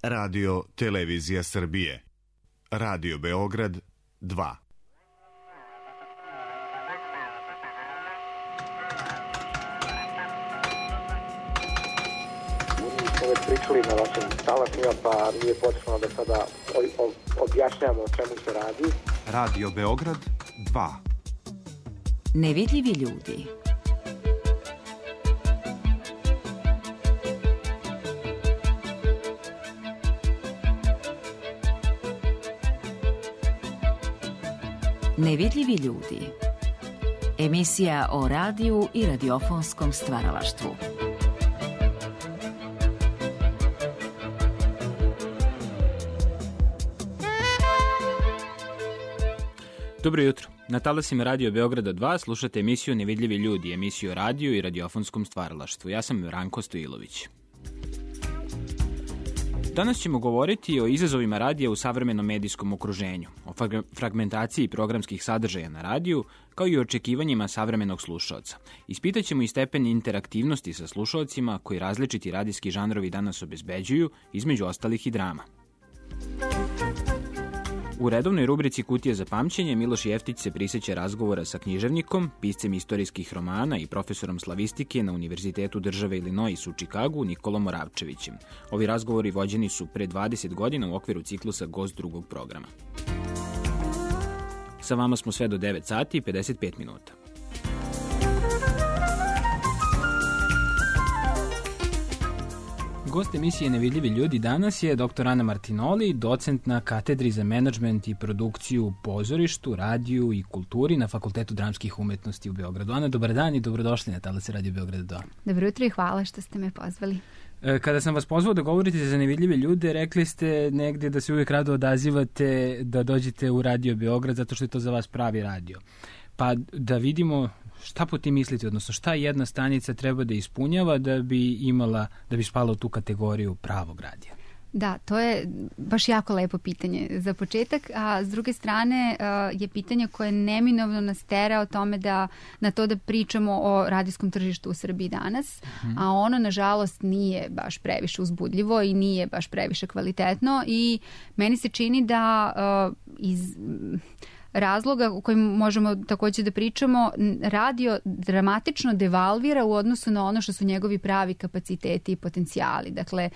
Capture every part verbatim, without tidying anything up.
Radio Televizija Srbije. Radio Beograd dva. Već pričali na vašim talasima, pa nije potrebno da sada objašnjamo o čemu se radi. Radio Beograd dva. Nevidljivi ljudi. Nevidljivi ljudi. Emisija o radiju i radiofonskom stvaralaštvu. Dobro jutro. Na talasima Radio Beograda dva slušate emisiju Nevidljivi ljudi, emisiju o radiju i radiofonskom stvaralaštvu. Ja sam Ranko Stojilović. Danas ćemo govoriti o izazovima radija u savremenom medijskom okruženju, o fragmentaciji programskih sadržaja na radiju, kao i o očekivanjima savremenog slušaoca. Ispitaćemo i stepen interaktivnosti sa slušaocima koji različiti radijski žanrovi danas obezbeđuju, između ostalih i drama. U redovnoj rubrici Kutija za pamćenje Miloš Jeftić se prisjeća razgovora sa književnikom, piscem istorijskih romana i profesorom slavistike na Univerzitetu države Illinois u Čikagu Nikolom Moravčevićem. Ovi razgovori vođeni su pre dvadeset godina u okviru ciklusa Gost drugog programa. Sa vama smo sve do devet sati i pedeset pet minuta. Gost emisije Nevidljivi ljudi danas je doktor Ana Martinoli, docent na katedri za menadžment i produkciju u pozorištu, radiju i kulturi na Fakultetu dramskih umetnosti u Beogradu. Ana, dobar dan i dobrodošli na talase Radio Beograda dva. Dobro jutro i hvala što ste me pozvali. Kada sam vas pozvao da govorite za nevidljive ljude, rekli ste negdje da se uvijek rado odazivate da dođete u Radio Beograd zato što je to za vas pravi radio. Pa da vidimo šta po tim mislite, odnosno šta jedna stanica treba da ispunjava da bi imala, da bi spala u tu kategoriju pravog radija? Da, to je baš jako lepo pitanje za početak, a s druge strane je pitanje koje neminovno nas tera o tome da, na to da pričamo o radijskom tržištu u Srbiji danas, mm-hmm. a ono nažalost nije baš previše uzbudljivo i nije baš previše kvalitetno i meni se čini da uh, iz... razloga o kojim možemo također da pričamo, radio dramatično devalvira u odnosu na ono što su njegovi pravi kapaciteti i potencijali. Dakle,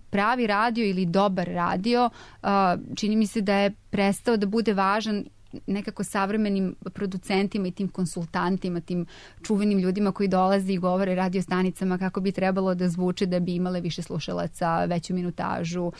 pravi radio ili dobar radio čini mi se da je prestao da bude važan nekako savremenim producentima i tim konsultantima, tim čuvenim ljudima koji dolaze i govore radio stanicama kako bi trebalo da zvuče da bi imale više slušalaca, veću minutažu,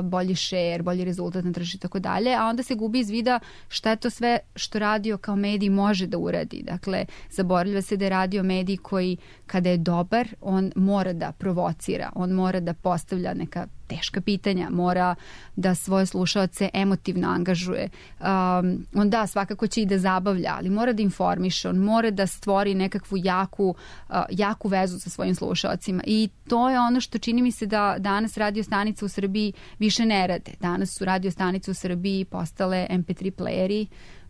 bolji share, bolji rezultat na tržištu i tako dalje, a onda se gubi iz vida šta je to sve što radio kao medij može da uradi. Dakle, zaboravlja se da je radio medij koji kada je dobar, on mora da provocira, on mora da postavlja neka teška pitanja, mora da svoje slušaoce emotivno angažuje. Um, on da, svakako će i da zabavlja, ali mora da informiše, on mora da stvori nekakvu jaku, uh, jaku vezu sa svojim slušaocima i to je ono što čini mi se da danas radio stanice u Srbiji više ne rade. Danas su radio stanice u Srbiji postale em pe tri playeri,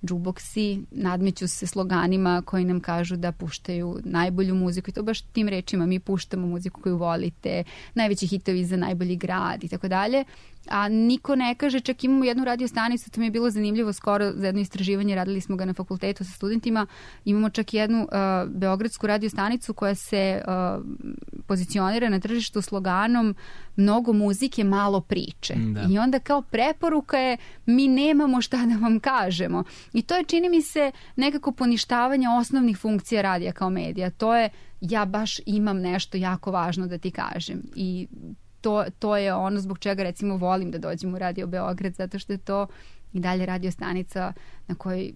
džuboksi, nadmeću se sloganima koji nam kažu da puštaju najbolju muziku i to baš tim rečima, mi puštamo muziku koju volite, najveći hitovi za najbolji grad i tako dalje. A niko ne kaže, čak imamo jednu radio stanicu, to mi je bilo zanimljivo skoro za jedno istraživanje, radili smo ga na fakultetu sa studentima, imamo čak jednu uh, beogradsku radio stanicu koja se uh, pozicionira na tržištu sloganom mnogo muzike, malo priče. Da. I onda kao preporuka je mi nemamo šta da vam kažemo. I to je, čini mi se, nekako poništavanje osnovnih funkcija radija kao medija. To je, ja baš imam nešto jako važno da ti kažem. I To, to je ono zbog čega recimo volim da dođem u Radio Beograd, zato što je to i dalje radio stanica na kojoj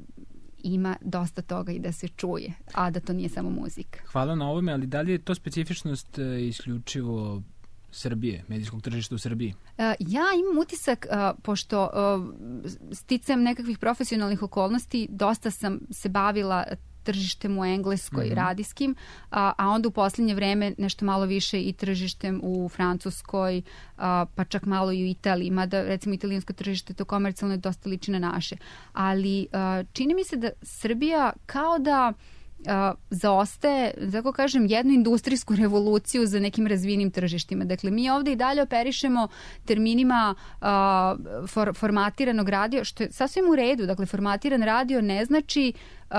ima dosta toga i da se čuje, a da to nije samo muzika. Hvala na ovome, ali da li je to specifičnost uh, isključivo Srbije, medijskog tržišta u Srbiji? Uh, ja imam utisak, uh, pošto uh, sticam nekakvih profesionalnih okolnosti, dosta sam se bavila tržištem u Engleskoj, mm-hmm. radijskim, a, a onda u posljednje vreme nešto malo više i tržištem u Francuskoj, a, pa čak malo i u Italiji, mada recimo italijansko tržište to komercijalno je dosta liči na naše. Ali a, čini mi se da Srbija kao da uh, zaostaje, tako kažem, jednu industrijsku revoluciju za nekim razvijenim tržištima. Dakle, mi ovde i dalje operišemo terminima uh, for, formatiranog radio, što je sasvim u redu. Dakle, formatiran radio ne znači uh,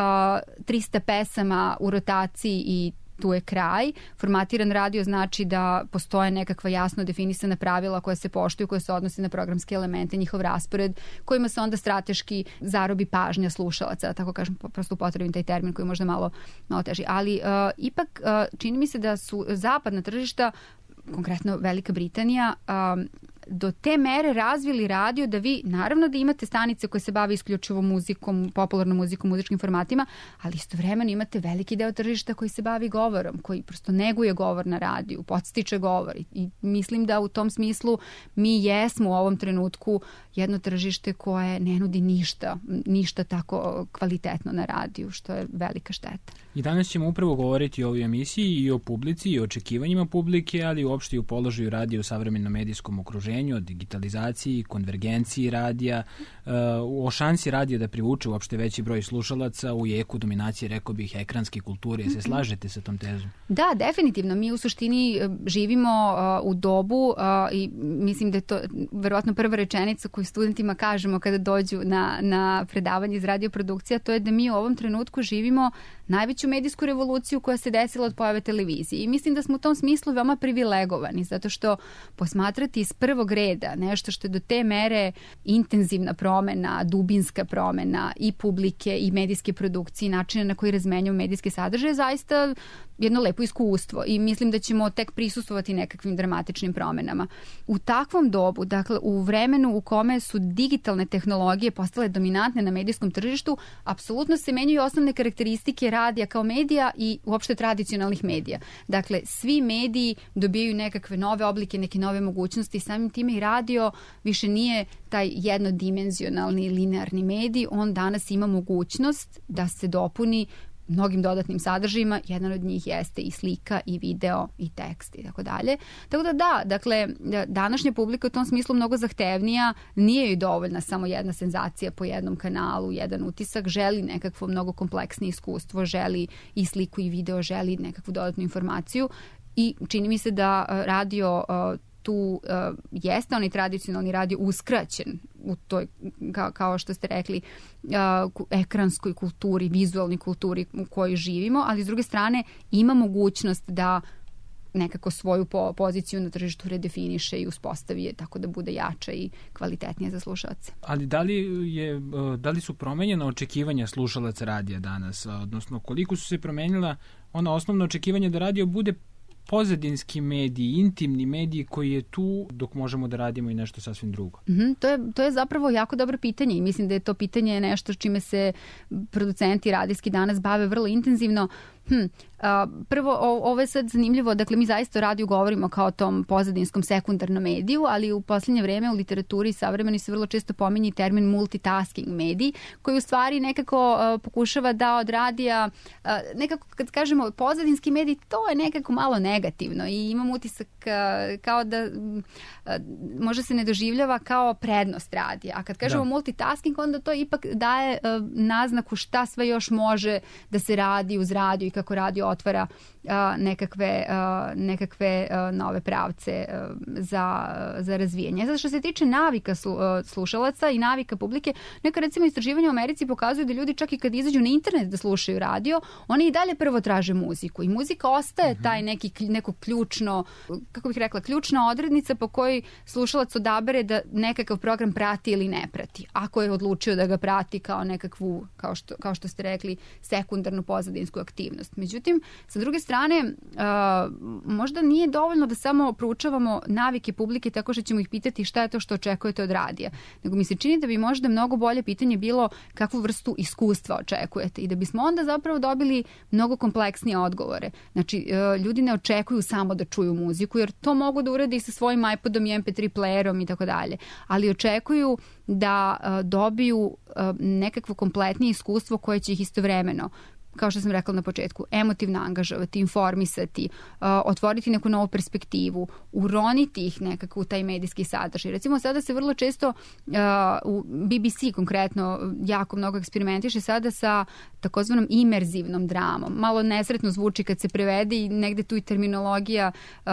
trista pesama u rotaciji i tu je kraj. Formatiran radio znači da postoje nekakva jasno definisana pravila koja se poštuju, koje se odnose na programske elemente, njihov raspored, kojima se onda strateški zarobi pažnja slušalaca, tako kažem, prosto upotrebim taj termin koji je možda malo, malo teži. Ali uh, ipak uh, čini mi se da su zapadna tržišta, konkretno Velika Britanija, um, do te mere razvili radio da vi, naravno da imate stanice koje se bave isključivo muzikom, popularnom muzikom, muzičkim formatima, ali istovremeno imate veliki deo tržišta koji se bavi govorom, koji prosto neguje govor na radiju, podstiče govor. I mislim da u tom smislu mi jesmo u ovom trenutku jedno tržište koje ne nudi ništa, ništa tako kvalitetno na radiju, što je velika šteta. I danas ćemo upravo govoriti o ovoj emisiji i o publici i o očekivanjima publike, ali uopšte i o položaju radija u savremenom medijskom okruženju, o digitalizaciji, konvergenciji radija, o šansi radija da privuče uopšte veći broj slušalaca u jeku dominacije, rekao bih, ekranske kulture. Se slažete sa tom tezom? Da, definitivno. Mi u suštini živimo u dobu i mislim da je to verovatno prva rečenica koju studentima kažemo kada dođu na, na predavanje iz radioprodukcija, to je da mi u ovom trenutku živimo najveću medijsku revoluciju koja se desila od pojave televizije. I mislim da smo u tom smislu veoma privilegovani, zato što posmatrati iz prvog reda nešto što je do te mere intenzivna promena, dubinska promena i publike i medijske produkcije, načina na koji razmenjuju medijske sadržaje, zaista jedno lepo iskustvo i mislim da ćemo tek prisustvovati nekakvim dramatičnim promenama. U takvom dobu, dakle u vremenu u kome su digitalne tehnologije postale dominantne na medijskom tržištu, apsolutno se menjaju osnovne karakteristike radija kao medija i uopšte tradicionalnih medija. Dakle, svi mediji dobijaju nekakve nove oblike, neke nove mogućnosti, samim time i radio više nije taj jednodimenzionalni linearni medij, on danas ima mogućnost da se dopuni mnogim dodatnim sadržajima, jedan od njih jeste i slika i video i tekst i tako dalje. Tako da da, dakle, današnja publika u tom smislu mnogo zahtevnija, nije joj dovoljna samo jedna senzacija po jednom kanalu, jedan utisak, želi nekakvo mnogo kompleksnije iskustvo, želi i sliku i video, želi nekakvu dodatnu informaciju i čini mi se da radio tu uh, jeste onaj tradicionalni radio uskraćen u toj, ka, kao što ste rekli, uh, ekranskoj kulturi, vizualnoj kulturi u kojoj živimo, ali s druge strane ima mogućnost da nekako svoju po, poziciju na tržištu redefiniše i uspostavi je tako da bude jača i kvalitetnija za slušalce. Ali da li, je, da li su promenjena očekivanja slušalaca radija danas, odnosno koliko su se promenila ona osnovna očekivanja da radio bude pozadinski mediji, intimni mediji koji je tu dok možemo da radimo i nešto sasvim drugo? Mm-hmm, to, je, to je zapravo jako dobro pitanje i mislim da je to pitanje nešto čime se producenti radijski danas bave vrlo intenzivno. Hm, a, prvo, o, ovo je sad zanimljivo, dakle mi zaista o radiju govorimo kao o tom pozadinskom sekundarnom mediju, ali u posljednje vreme u literaturi savremeni se vrlo često pominje termin multitasking medij, koji u stvari nekako a, pokušava da od radija, a, nekako kad kažemo pozadinski medij, to je nekako malo negativno i imam utisak a, kao da a, možda se ne doživljava kao prednost radija, a kad kažemo da. multitasking, onda to ipak daje a, naznaku šta sve još može da se radi uz radio i kako radio otvara uh, nekakve, uh, nekakve uh, nove pravce uh, za, za razvijanje. Zato što se tiče navika slu, uh, slušalaca i navika publike, neka recimo istraživanja u Americi pokazuju da ljudi čak i kad izađu na internet da slušaju radio, oni i dalje prvo traže muziku i muzika ostaje taj neki, neko ključno, kako bih rekla, ključna odrednica po kojoj slušalac odabere da nekakav program prati ili ne prati. Ako je odlučio da ga prati kao nekakvu, kao što, kao što ste rekli, sekundarnu pozadinsku aktivnost. Međutim, sa druge strane, uh, možda nije dovoljno da samo proučavamo navike publike tako što ćemo ih pitati šta je to što očekujete od radija. Nego mi se čini da bi možda mnogo bolje pitanje bilo kakvu vrstu iskustva očekujete i da bismo onda zapravo dobili mnogo kompleksnije odgovore. Znači, uh, ljudi ne očekuju samo da čuju muziku, jer to mogu da urade i sa svojim iPodom i em pe tri playerom i tako dalje. Ali očekuju da uh, dobiju uh, nekakvo kompletnije iskustvo koje će ih istovremeno kao što sam rekla na početku, emotivno angažovati, informisati, uh, otvoriti neku novu perspektivu, uroniti ih nekako u taj medijski sadržaj. Recimo sada se vrlo često uh, u B B C konkretno jako mnogo eksperimentiše sada sa takozvanom imerzivnom dramom. Malo nesretno zvuči kad se prevede i negde tu i terminologija uh,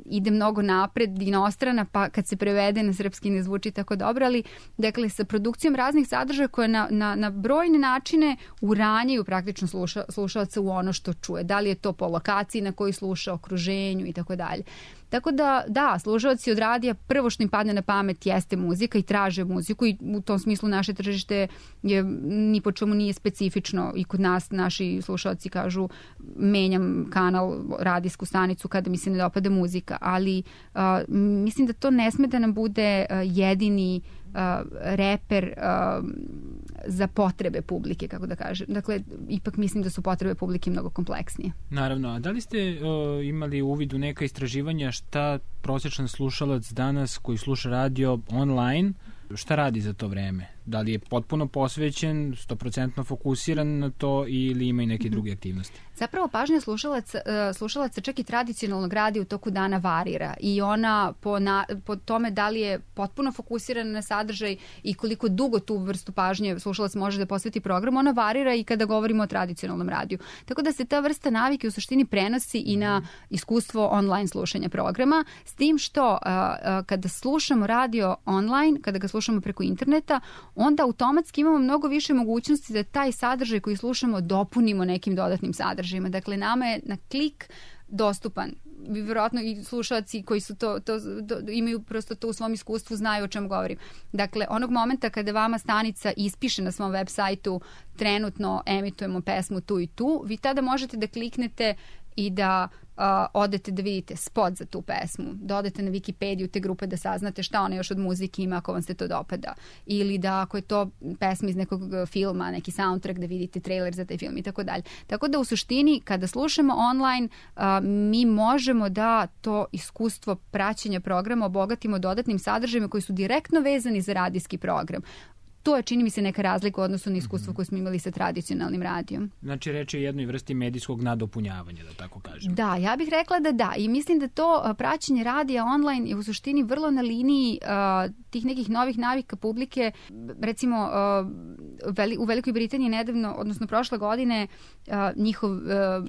ide mnogo napred, inostrana, pa kad se prevede na srpski ne zvuči tako dobro, ali dakle sa produkcijom raznih sadržaja koje na, na, na brojne načine uranjaju praktično sluša, slušalca u ono što čuje. Da li je to po lokaciji na koji sluša, okruženju i tako dalje. Tako da, da, slušalci od radija prvo što im padne na pamet jeste muzika i traže muziku i u tom smislu naše tržište je ni po čemu nije specifično i kod nas naši slušalci kažu menjam kanal, radijsku stanicu kada mi se ne dopada muzika, ali uh, mislim da to ne sme da nam bude uh, jedini uh, reper uh, za potrebe publike, kako da kažem. Dakle, ipak mislim da su potrebe publike mnogo kompleksnije. Naravno, a da li ste uh, imali uvid u neka istraživanja šta prosječan slušalac danas koji sluša radio online, šta radi za to vreme? Da li je potpuno posvećen, sto posto fokusiran na to ili ima i neke druge aktivnosti? Zapravo pažnja slušalaca, slušalaca čak i tradicionalnog radija u toku dana varira i ona po, na, po tome da li je potpuno fokusirana na sadržaj i koliko dugo tu vrstu pažnje slušalac može da posveti programu, ona varira i kada govorimo o tradicionalnom radiju. Tako da se ta vrsta navike u suštini prenosi i na iskustvo online slušanja programa, s tim što a, a, kada slušamo radio online, kada ga slušamo preko interneta, onda automatski imamo mnogo više mogućnosti da taj sadržaj koji slušamo dopunimo nekim dodatnim sadržajima. Dakle, nama je na klik dostupan. Vjerojatno i slušalci koji su to, to do, imaju prosto to u svom iskustvu znaju o čemu govorim. Dakle, onog momenta kada vama stanica ispiše na svom web sajtu trenutno emitujemo pesmu tu i tu, vi tada možete da kliknete i da uh, odete da vidite spot za tu pesmu, da odete na Wikipediju te grupe da saznate šta ona još od muzike ima ako vam se to dopada. Ili da ako je to pesma iz nekog filma, neki soundtrack, da vidite trailer za taj film i tako dalje. Tako da u suštini kada slušamo online uh, mi možemo da to iskustvo praćenja programa obogatimo dodatnim sadržajima koji su direktno vezani za radijski program. To je, čini mi se, neka razlika u odnosu na iskustvo koje smo imali sa tradicionalnim radijom. Znači, reč je o jednoj vrsti medijskog nadopunjavanja, da tako kažem. Da, ja bih rekla da da. I mislim da to praćenje radija online je u suštini vrlo na liniji uh, tih nekih novih navika publike. Recimo, uh, veli, u Velikoj Britaniji nedavno, odnosno prošle godine, uh, njihov, uh,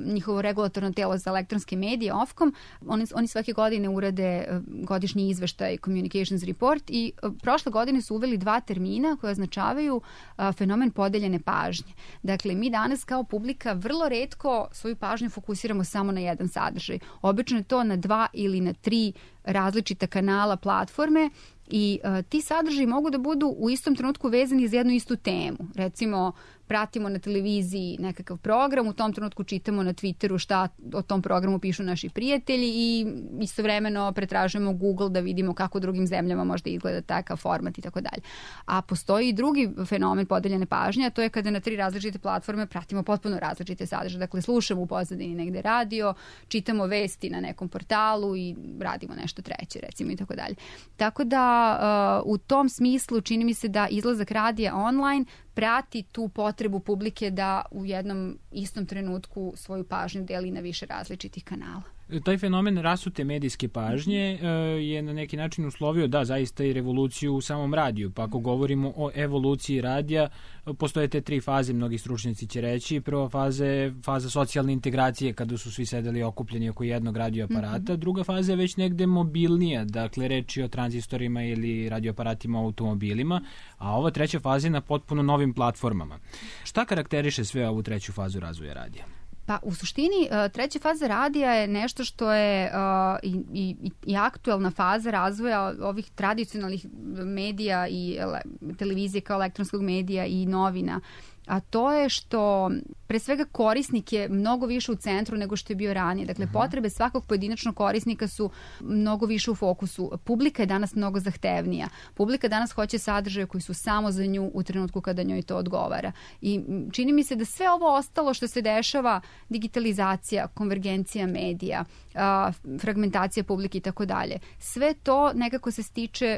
njihovo regulatorno telo za elektronske medije, Ofcom, oni, oni svake godine urade uh, godišnji izveštaj Communications Report i uh, prošle godine su uveli dva termina koja označavaju a, fenomen podeljene pažnje. Dakle, mi danas kao publika vrlo retko svoju pažnju fokusiramo samo na jedan sadržaj. Obično je to na dva ili na tri različita kanala, platforme i a, ti sadržaji mogu da budu u istom trenutku vezani za jednu istu temu. Recimo, pratimo na televiziji nekakav program, u tom trenutku čitamo na Twitteru šta o tom programu pišu naši prijatelji i istovremeno pretražujemo Google da vidimo kako u drugim zemljama možda izgleda takav format i tako dalje. A postoji i drugi fenomen podeljene pažnje, a to je kada na tri različite platforme pratimo potpuno različite sadržaje. Dakle, slušamo u pozadini negde radio, čitamo vesti na nekom portalu i radimo nešto treće, recimo, i tako dalje. Tako da uh, u tom smislu čini mi se da izlazak radija online prati tu potrebu publike da u jednom istom trenutku svoju pažnju deli na više različitih kanala. Taj fenomen rasute medijske pažnje je na neki način uslovio, da, zaista i revoluciju u samom radiju. Pa ako govorimo o evoluciji radija, postoje te tri faze, mnogi stručnjaci će reći. Prva faza je faza socijalne integracije, kada su svi sedeli okupljeni oko jednog radioaparata. Druga faza je već negde mobilnija, dakle reči o tranzistorima ili radioaparatima u automobilima, a ova treća faza je na potpuno novim platformama. Šta karakteriše sve ovu treću fazu razvoja radija? Pa u suštini treća faza radija je nešto što je uh, i, i, i aktuelna faza razvoja ovih tradicionalnih medija i ele, televizije kao elektronskog medija i novina. A to je što pre svega korisnik je mnogo više u centru nego što je bio ranije. Dakle, uh-huh. potrebe svakog pojedinačnog korisnika su mnogo više u fokusu. Publika je danas mnogo zahtevnija. Publika danas hoće sadržaje koji su samo za nju u trenutku kada njoj to odgovara. I čini mi se da sve ovo ostalo što se dešava, digitalizacija, konvergencija medija, fragmentacija publike i tako dalje, sve to nekako se stiče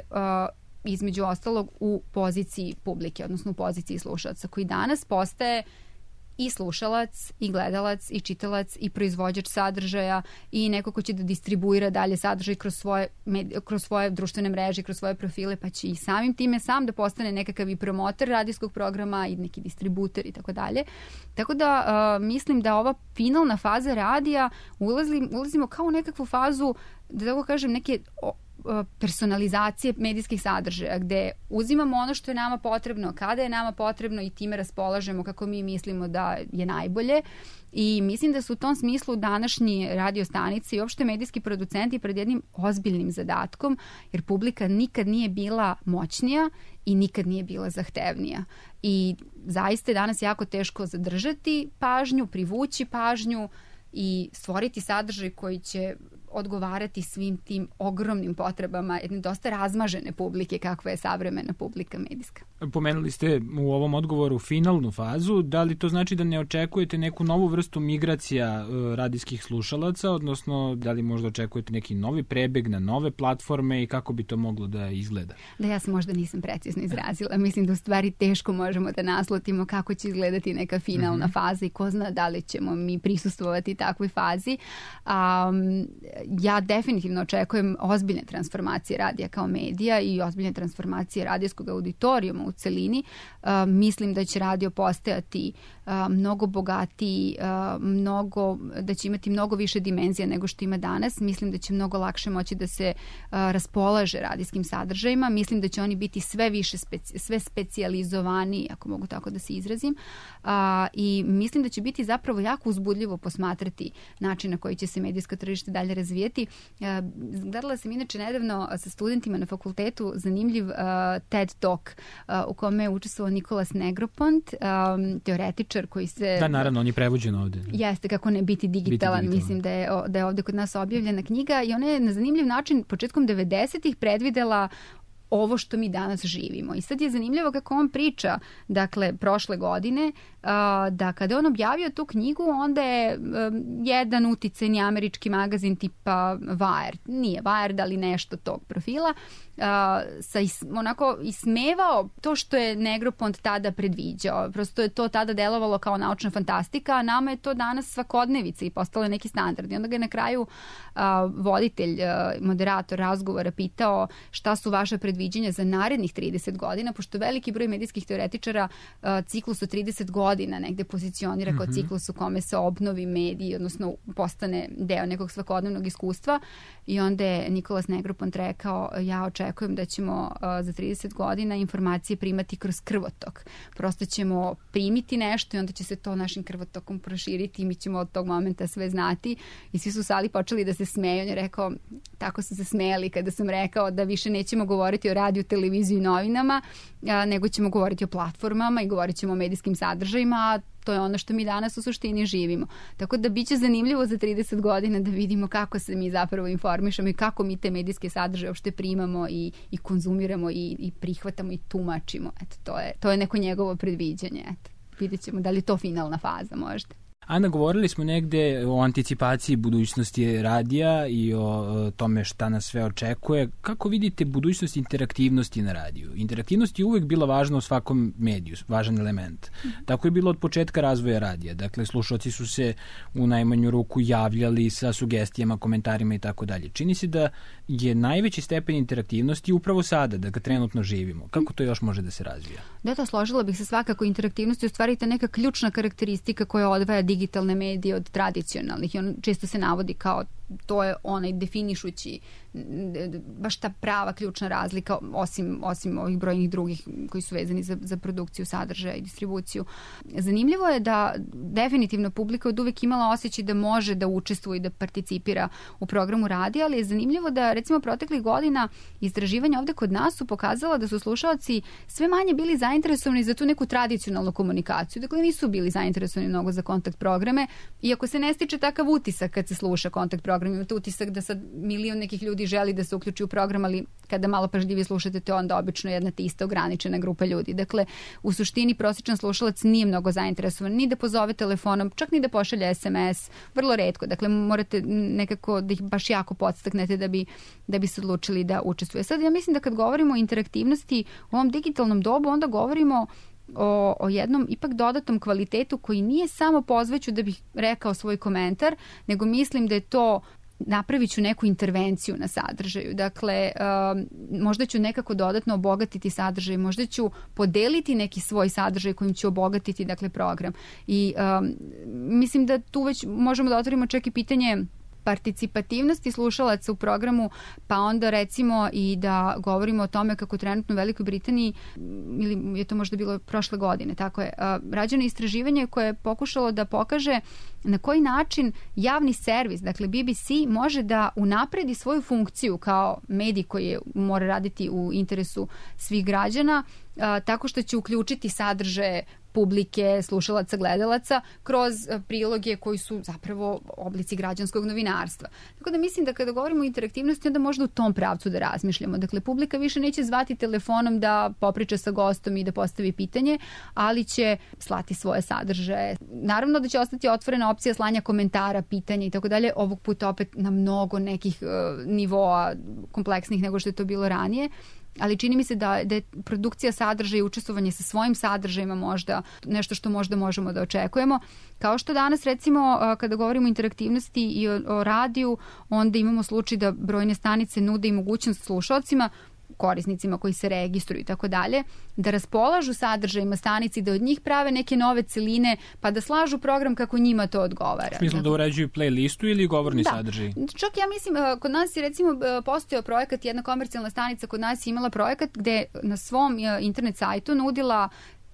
između ostalog u poziciji publike, odnosno u poziciji slušalca, koji danas postaje i slušalac, i gledalac, i čitalac, i proizvođač sadržaja, i neko ko će da distribuira dalje sadržaj kroz svoje, kroz svoje društvene mreže, kroz svoje profile, pa će i samim time sam da postane nekakav i promoter radijskog programa i neki distributer i tako dalje. Tako da uh, mislim da ova finalna faza radija ulazim, ulazimo kao u nekakvu fazu, da tako kažem, neke personalizacije medijskih sadržaja, gde uzimamo ono što je nama potrebno, kada je nama potrebno i time raspolažemo kako mi mislimo da je najbolje. I mislim da su u tom smislu današnji radio stanice i uopšte medijski producenti pred jednim ozbiljnim zadatkom, jer publika nikad nije bila moćnija i nikad nije bila zahtevnija. I zaista je danas jako teško zadržati pažnju, privući pažnju i stvoriti sadržaj koji će odgovarati svim tim ogromnim potrebama jedne dosta razmažene publike kakva je savremena publika medijska. Pomenuli ste u ovom odgovoru finalnu fazu. Da li to znači da ne očekujete neku novu vrstu migracija radijskih slušalaca, odnosno da li možda očekujete neki novi prebeg na nove platforme i kako bi to moglo da izgleda? Da, ja se možda nisam precizno izrazila. Mislim da u stvari teško možemo da naslutimo kako će izgledati neka finalna mm-hmm. faza i ko zna da li ćemo mi prisustvovati takvoj fazi. Um, ja definitivno očekujem ozbiljne transformacije radija kao medija i ozbiljne transformacije radijskog auditorijuma u celini. Uh, mislim da će radio postajati uh, mnogo bogatiji, uh, mnogo, da će imati mnogo više dimenzija nego što ima danas. Mislim da će mnogo lakše moći da se uh, raspolaže radijskim sadržajima. Mislim da će oni biti sve više, speci, sve specijalizovani, ako mogu tako da se izrazim. Uh, I mislim da će biti zapravo jako uzbudljivo posmatrati način na koji će se medijsko tržište dalje razvijeti. Uh, gledala sam inače nedavno sa studentima na fakultetu zanimljiv uh, TED Talk uh, u kome je učestvovao Nikolas Negropont, um, teoretičar koji se... Da, naravno, on je prevođen ovde. Jeste, kako ne biti digitalan, biti digitalan. Mislim da je, da je ovde kod nas objavljena knjiga i ona je na zanimljiv način početkom devedesetih predvidela ovo što mi danas živimo. I sad je zanimljivo kako on priča, dakle, prošle godine, da kada je on objavio tu knjigu, onda je jedan uticajni američki magazin tipa Wired, nije Wired, ali nešto tog profila, sa is, onako ismevao to što je Negropont tada predviđao. Prosto je to tada delovalo kao naučna fantastika, a nama je to danas svakodnevica i postalo neki standard. I onda ga je na kraju a, voditelj, a, moderator razgovora pitao šta su vaše predviđenja za narednih trideset godina, pošto veliki broj medijskih teoretičara a, ciklus od trideset godina negde pozicionira mm-hmm. kao ciklus u kome se obnovi mediji, odnosno postane deo nekog svakodnevnog iskustva. I onda je Nikolas Negropont rekao, ja očekujem da ćemo uh, za trideset godina informacije primati kroz krvotok. Prosto ćemo primiti nešto i onda će se to našim krvotokom proširiti i mi ćemo od tog momenta sve znati. I svi su u sali počeli da se smeju. On je rekao, tako su se smejali kada sam rekao da više nećemo govoriti o radiju, televiziji i novinama, uh, nego ćemo govoriti o platformama i govorit ćemo o medijskim sadržajima, a to je ono što mi danas u suštini živimo. Tako da biće zanimljivo za trideset godina da vidimo kako se mi zapravo informišemo i kako mi te medijske sadržaje uopšte primamo i, i konzumiramo i, i prihvatamo i tumačimo. Eto, to je, to je neko njegovo predviđanje. Eto, vidjet ćemo da li je to finalna faza možda. Ana, govorili smo negde o anticipaciji budućnosti radija i o tome šta nas sve očekuje. Kako vidite budućnost interaktivnosti na radiju? Interaktivnost je uvek bila važna u svakom mediju, važan element. Mm-hmm. Tako je bilo od početka razvoja radija. Dakle, slušalci su se u najmanju ruku javljali sa sugestijama, komentarima i tako dalje. Čini se da je najveći stepen interaktivnosti upravo sada, da ga trenutno živimo. Kako to još može da se razvija? Da, to složila bih se svakako. Interaktivnost je u stvari ta neka ključna karakteristika koja odvaja digitalne medije od tradicionalnih i on često se navodi kao to je onaj definišući baš ta prava ključna razlika osim, osim ovih brojnih drugih koji su vezani za, za produkciju sadržaja i distribuciju. Zanimljivo je da definitivno publika od uvek imala osjećaj da može da učestvuje i da participira u programu radija, ali je zanimljivo da recimo proteklih godina istraživanja ovde kod nas su pokazala da su slušaoci sve manje bili zainteresovani za tu neku tradicionalnu komunikaciju. Dakle, nisu bili zainteresovani mnogo za kontakt programe, iako se ne stiče takav utisak kad se sluša kontakt program. Imate utisak da sad milion nekih ljudi želi da se uključi u program, ali kada malo pažljivije slušate, to je onda obično jedna te ista ograničena grupa ljudi. Dakle, u suštini prosječan slušalac nije mnogo zainteresovan ni da pozove telefonom, čak ni da pošalje es em es, vrlo retko. Dakle, morate nekako da ih baš jako podstaknete da bi, da bi se odlučili da učestvuje. Sad, ja mislim da kad govorimo o interaktivnosti u ovom digitalnom dobu, onda govorimo o, o jednom ipak dodatnom kvalitetu koji nije samo pozveću da bih rekao svoj komentar, nego mislim da je to napravit ću neku intervenciju na sadržaju. Dakle, um, možda ću nekako dodatno obogatiti sadržaj, možda ću podeliti neki svoj sadržaj kojim ću obogatiti, dakle, program. I um, mislim da tu već možemo da otvorimo čak i pitanje participativnosti slušalaca u programu, pa onda recimo i da govorimo o tome kako trenutno u Velikoj Britaniji, ili je to možda bilo prošle godine, tako je, rađeno istraživanje koje je pokušalo da pokaže na koji način javni servis, dakle B B C, može da unapredi svoju funkciju kao medij koji je, mora raditi u interesu svih građana, a, tako što će uključiti sadržaje publike, slušalaca, gledalaca kroz priloge koji su zapravo oblici građanskog novinarstva. Tako da mislim da kada govorimo o interaktivnosti, onda možda u tom pravcu da razmišljamo. Dakle, publika više neće zvati telefonom da popriča sa gostom i da postavi pitanje, ali će slati svoje sadržaje. Naravno da će ostati otvorena opcija slanja komentara, pitanja i tako dalje, ovog puta opet na mnogo nekih uh, nivoa kompleksnih nego što je to bilo ranije. Ali čini mi se da, da je produkcija sadržaja i učestvovanje sa svojim sadržajima možda nešto što možda možemo da očekujemo. Kao što danas recimo kada govorimo o interaktivnosti i o, o radiju, onda imamo slučaj da brojne stanice nude i mogućnost slušalcima, korisnicima koji se registruju i tako dalje, da raspolažu sadržajima stanici, da od njih prave neke nove celine, pa da slažu program kako njima to odgovara. U smislu da uređuju playlistu ili govorni da. sadržaj? Čak ja mislim, kod nas je recimo postojao projekat, jedna komercijalna stanica kod nas je imala projekat gde na svom internet sajtu nudila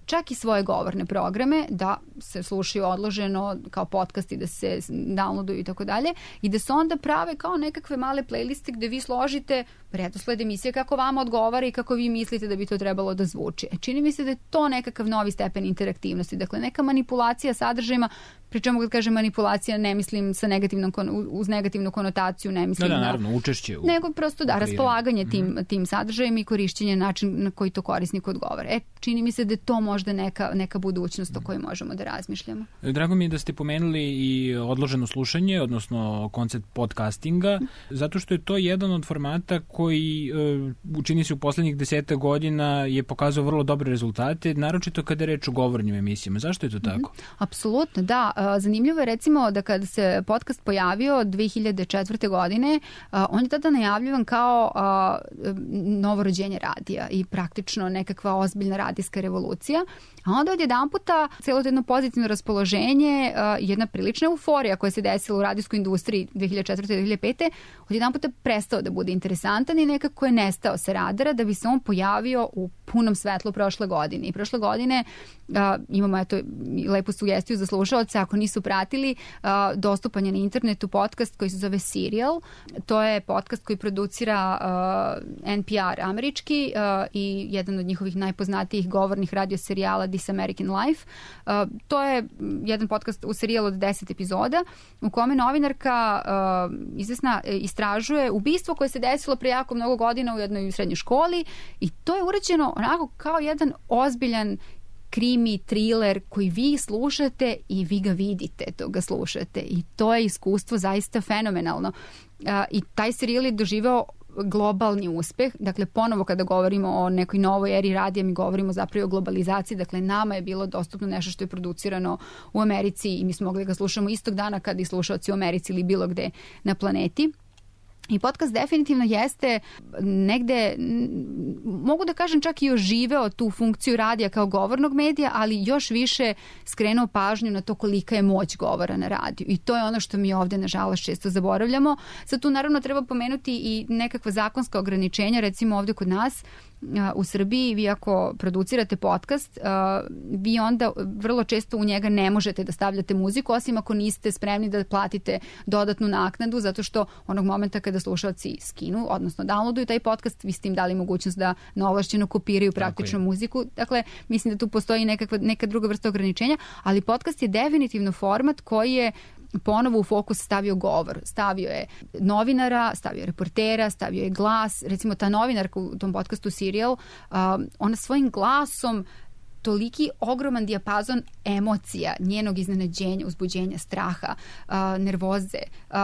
čak i svoje govorne programe, da se slušaju odloženo kao podcast i da se downloaduju i tako dalje, i da se onda prave kao nekakve male playliste gde vi složite redosled emisije kako vama odgovara i kako vi mislite da bi to trebalo da zvuči. E, čini mi se da je to nekakav novi stepen interaktivnosti, dakle neka manipulacija sadržajima, pri čemu kad kažem manipulacija ne mislim sa negativnom, uz negativnu konotaciju, ne mislim da, da, na, naravno, učešće u, nego prosto da, raspolaganje tim, mm. tim sadržajem i korišćenje način na koji to korisnik odgovara. E, čini mi se da je to možda neka, neka budućnost o kojoj možemo da razmišljamo. Drago mi je da ste pomenuli i odloženo slušanje, odnosno koncept podcastinga, zato što je to jedan od formata koji učini se u poslednjih deseta godina je pokazao vrlo dobre rezultate, naročito kada je reč o govornim emisijama. Zašto je to tako? Mm-hmm. Apsolutno, da. Zanimljivo je recimo da kada se podcast pojavio dve hiljade četvrte. godine, on je tada najavljivan kao novorođenje radija i praktično nekakva ozbiljna radijska revolucija. A onda od jedan puta celo jedno pozitivno raspoloženje, jedna prilična euforija koja se desila u radijskoj industriji dve hiljade četvrte. do dve hiljade pete. od jedan puta prestao da bude interesantan i nekako je nestao sa radara da bi se on pojavio u punom svetlu prošle godine. I prošle godine uh, imamo eto lepu sugestiju za slušaoce, ako nisu pratili, uh, dostupan je na internetu podcast koji se zove Serial. To je podcast koji producira uh, N P R američki uh, i jedan od njihovih najpoznatijih govornih radio serijala This American Life. Uh, to je jedan podcast u serijalu od deset epizoda u kome novinarka uh, izvesna istražuje ubistvo koje se desilo pre jako mnogo godina u jednoj srednjoj školi i to je urađeno onako kao jedan ozbiljan krimi, thriller koji vi slušate i vi ga vidite, to ga slušate i to je iskustvo zaista fenomenalno. Uh, I taj serijal je doživeo globalni uspeh. Dakle, ponovo kada govorimo o nekoj novoj eri radija, mi govorimo zapravo o globalizaciji. Dakle, nama je bilo dostupno nešto što je producirano u Americi i mi smo mogli ga slušamo istog dana kada i slušaoci u Americi ili bilo gde na planeti. I podcast definitivno jeste negde, mogu da kažem čak i oživeo tu funkciju radija kao govornog medija, ali još više skrenuo pažnju na to kolika je moć govora na radiju. I to je ono što mi ovde, nažalost, često zaboravljamo. Sad tu naravno treba pomenuti i nekakva zakonska ograničenja, recimo ovde kod nas u Srbiji, vi ako producirate podcast, vi onda vrlo često u njega ne možete da stavljate muziku, osim ako niste spremni da platite dodatnu naknadu, zato što onog momenta kada slušalci skinu, odnosno downloaduju taj podcast, vi ste im dali mogućnost da neovlašćeno kopiraju praktično muziku. Dakle, mislim da tu postoji nekakva, neka druga vrsta ograničenja, ali podcast je definitivno format koji je ponovo u fokus stavio govor. Stavio je novinara, stavio je reportera, stavio je glas. Recimo ta novinarka u tom podcastu Serial, uh, ona svojim glasom toliki ogroman dijapazon emocija, njenog iznenađenja, uzbuđenja, straha, uh, nervoze, uh,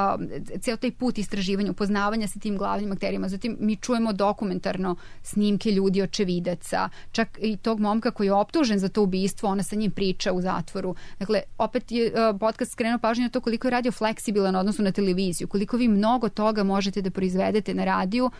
ceo taj put istraživanja, upoznavanja sa tim glavnim akterima. Zatim mi čujemo dokumentarno snimke ljudi, očevidaca, čak i tog momka koji je optužen za to ubistvo, ona sa njim priča u zatvoru. Dakle, opet je uh, podcast skrenuo pažnju na to koliko je radio fleksibilan odnosno na televiziju, koliko vi mnogo toga možete da proizvedete na radiju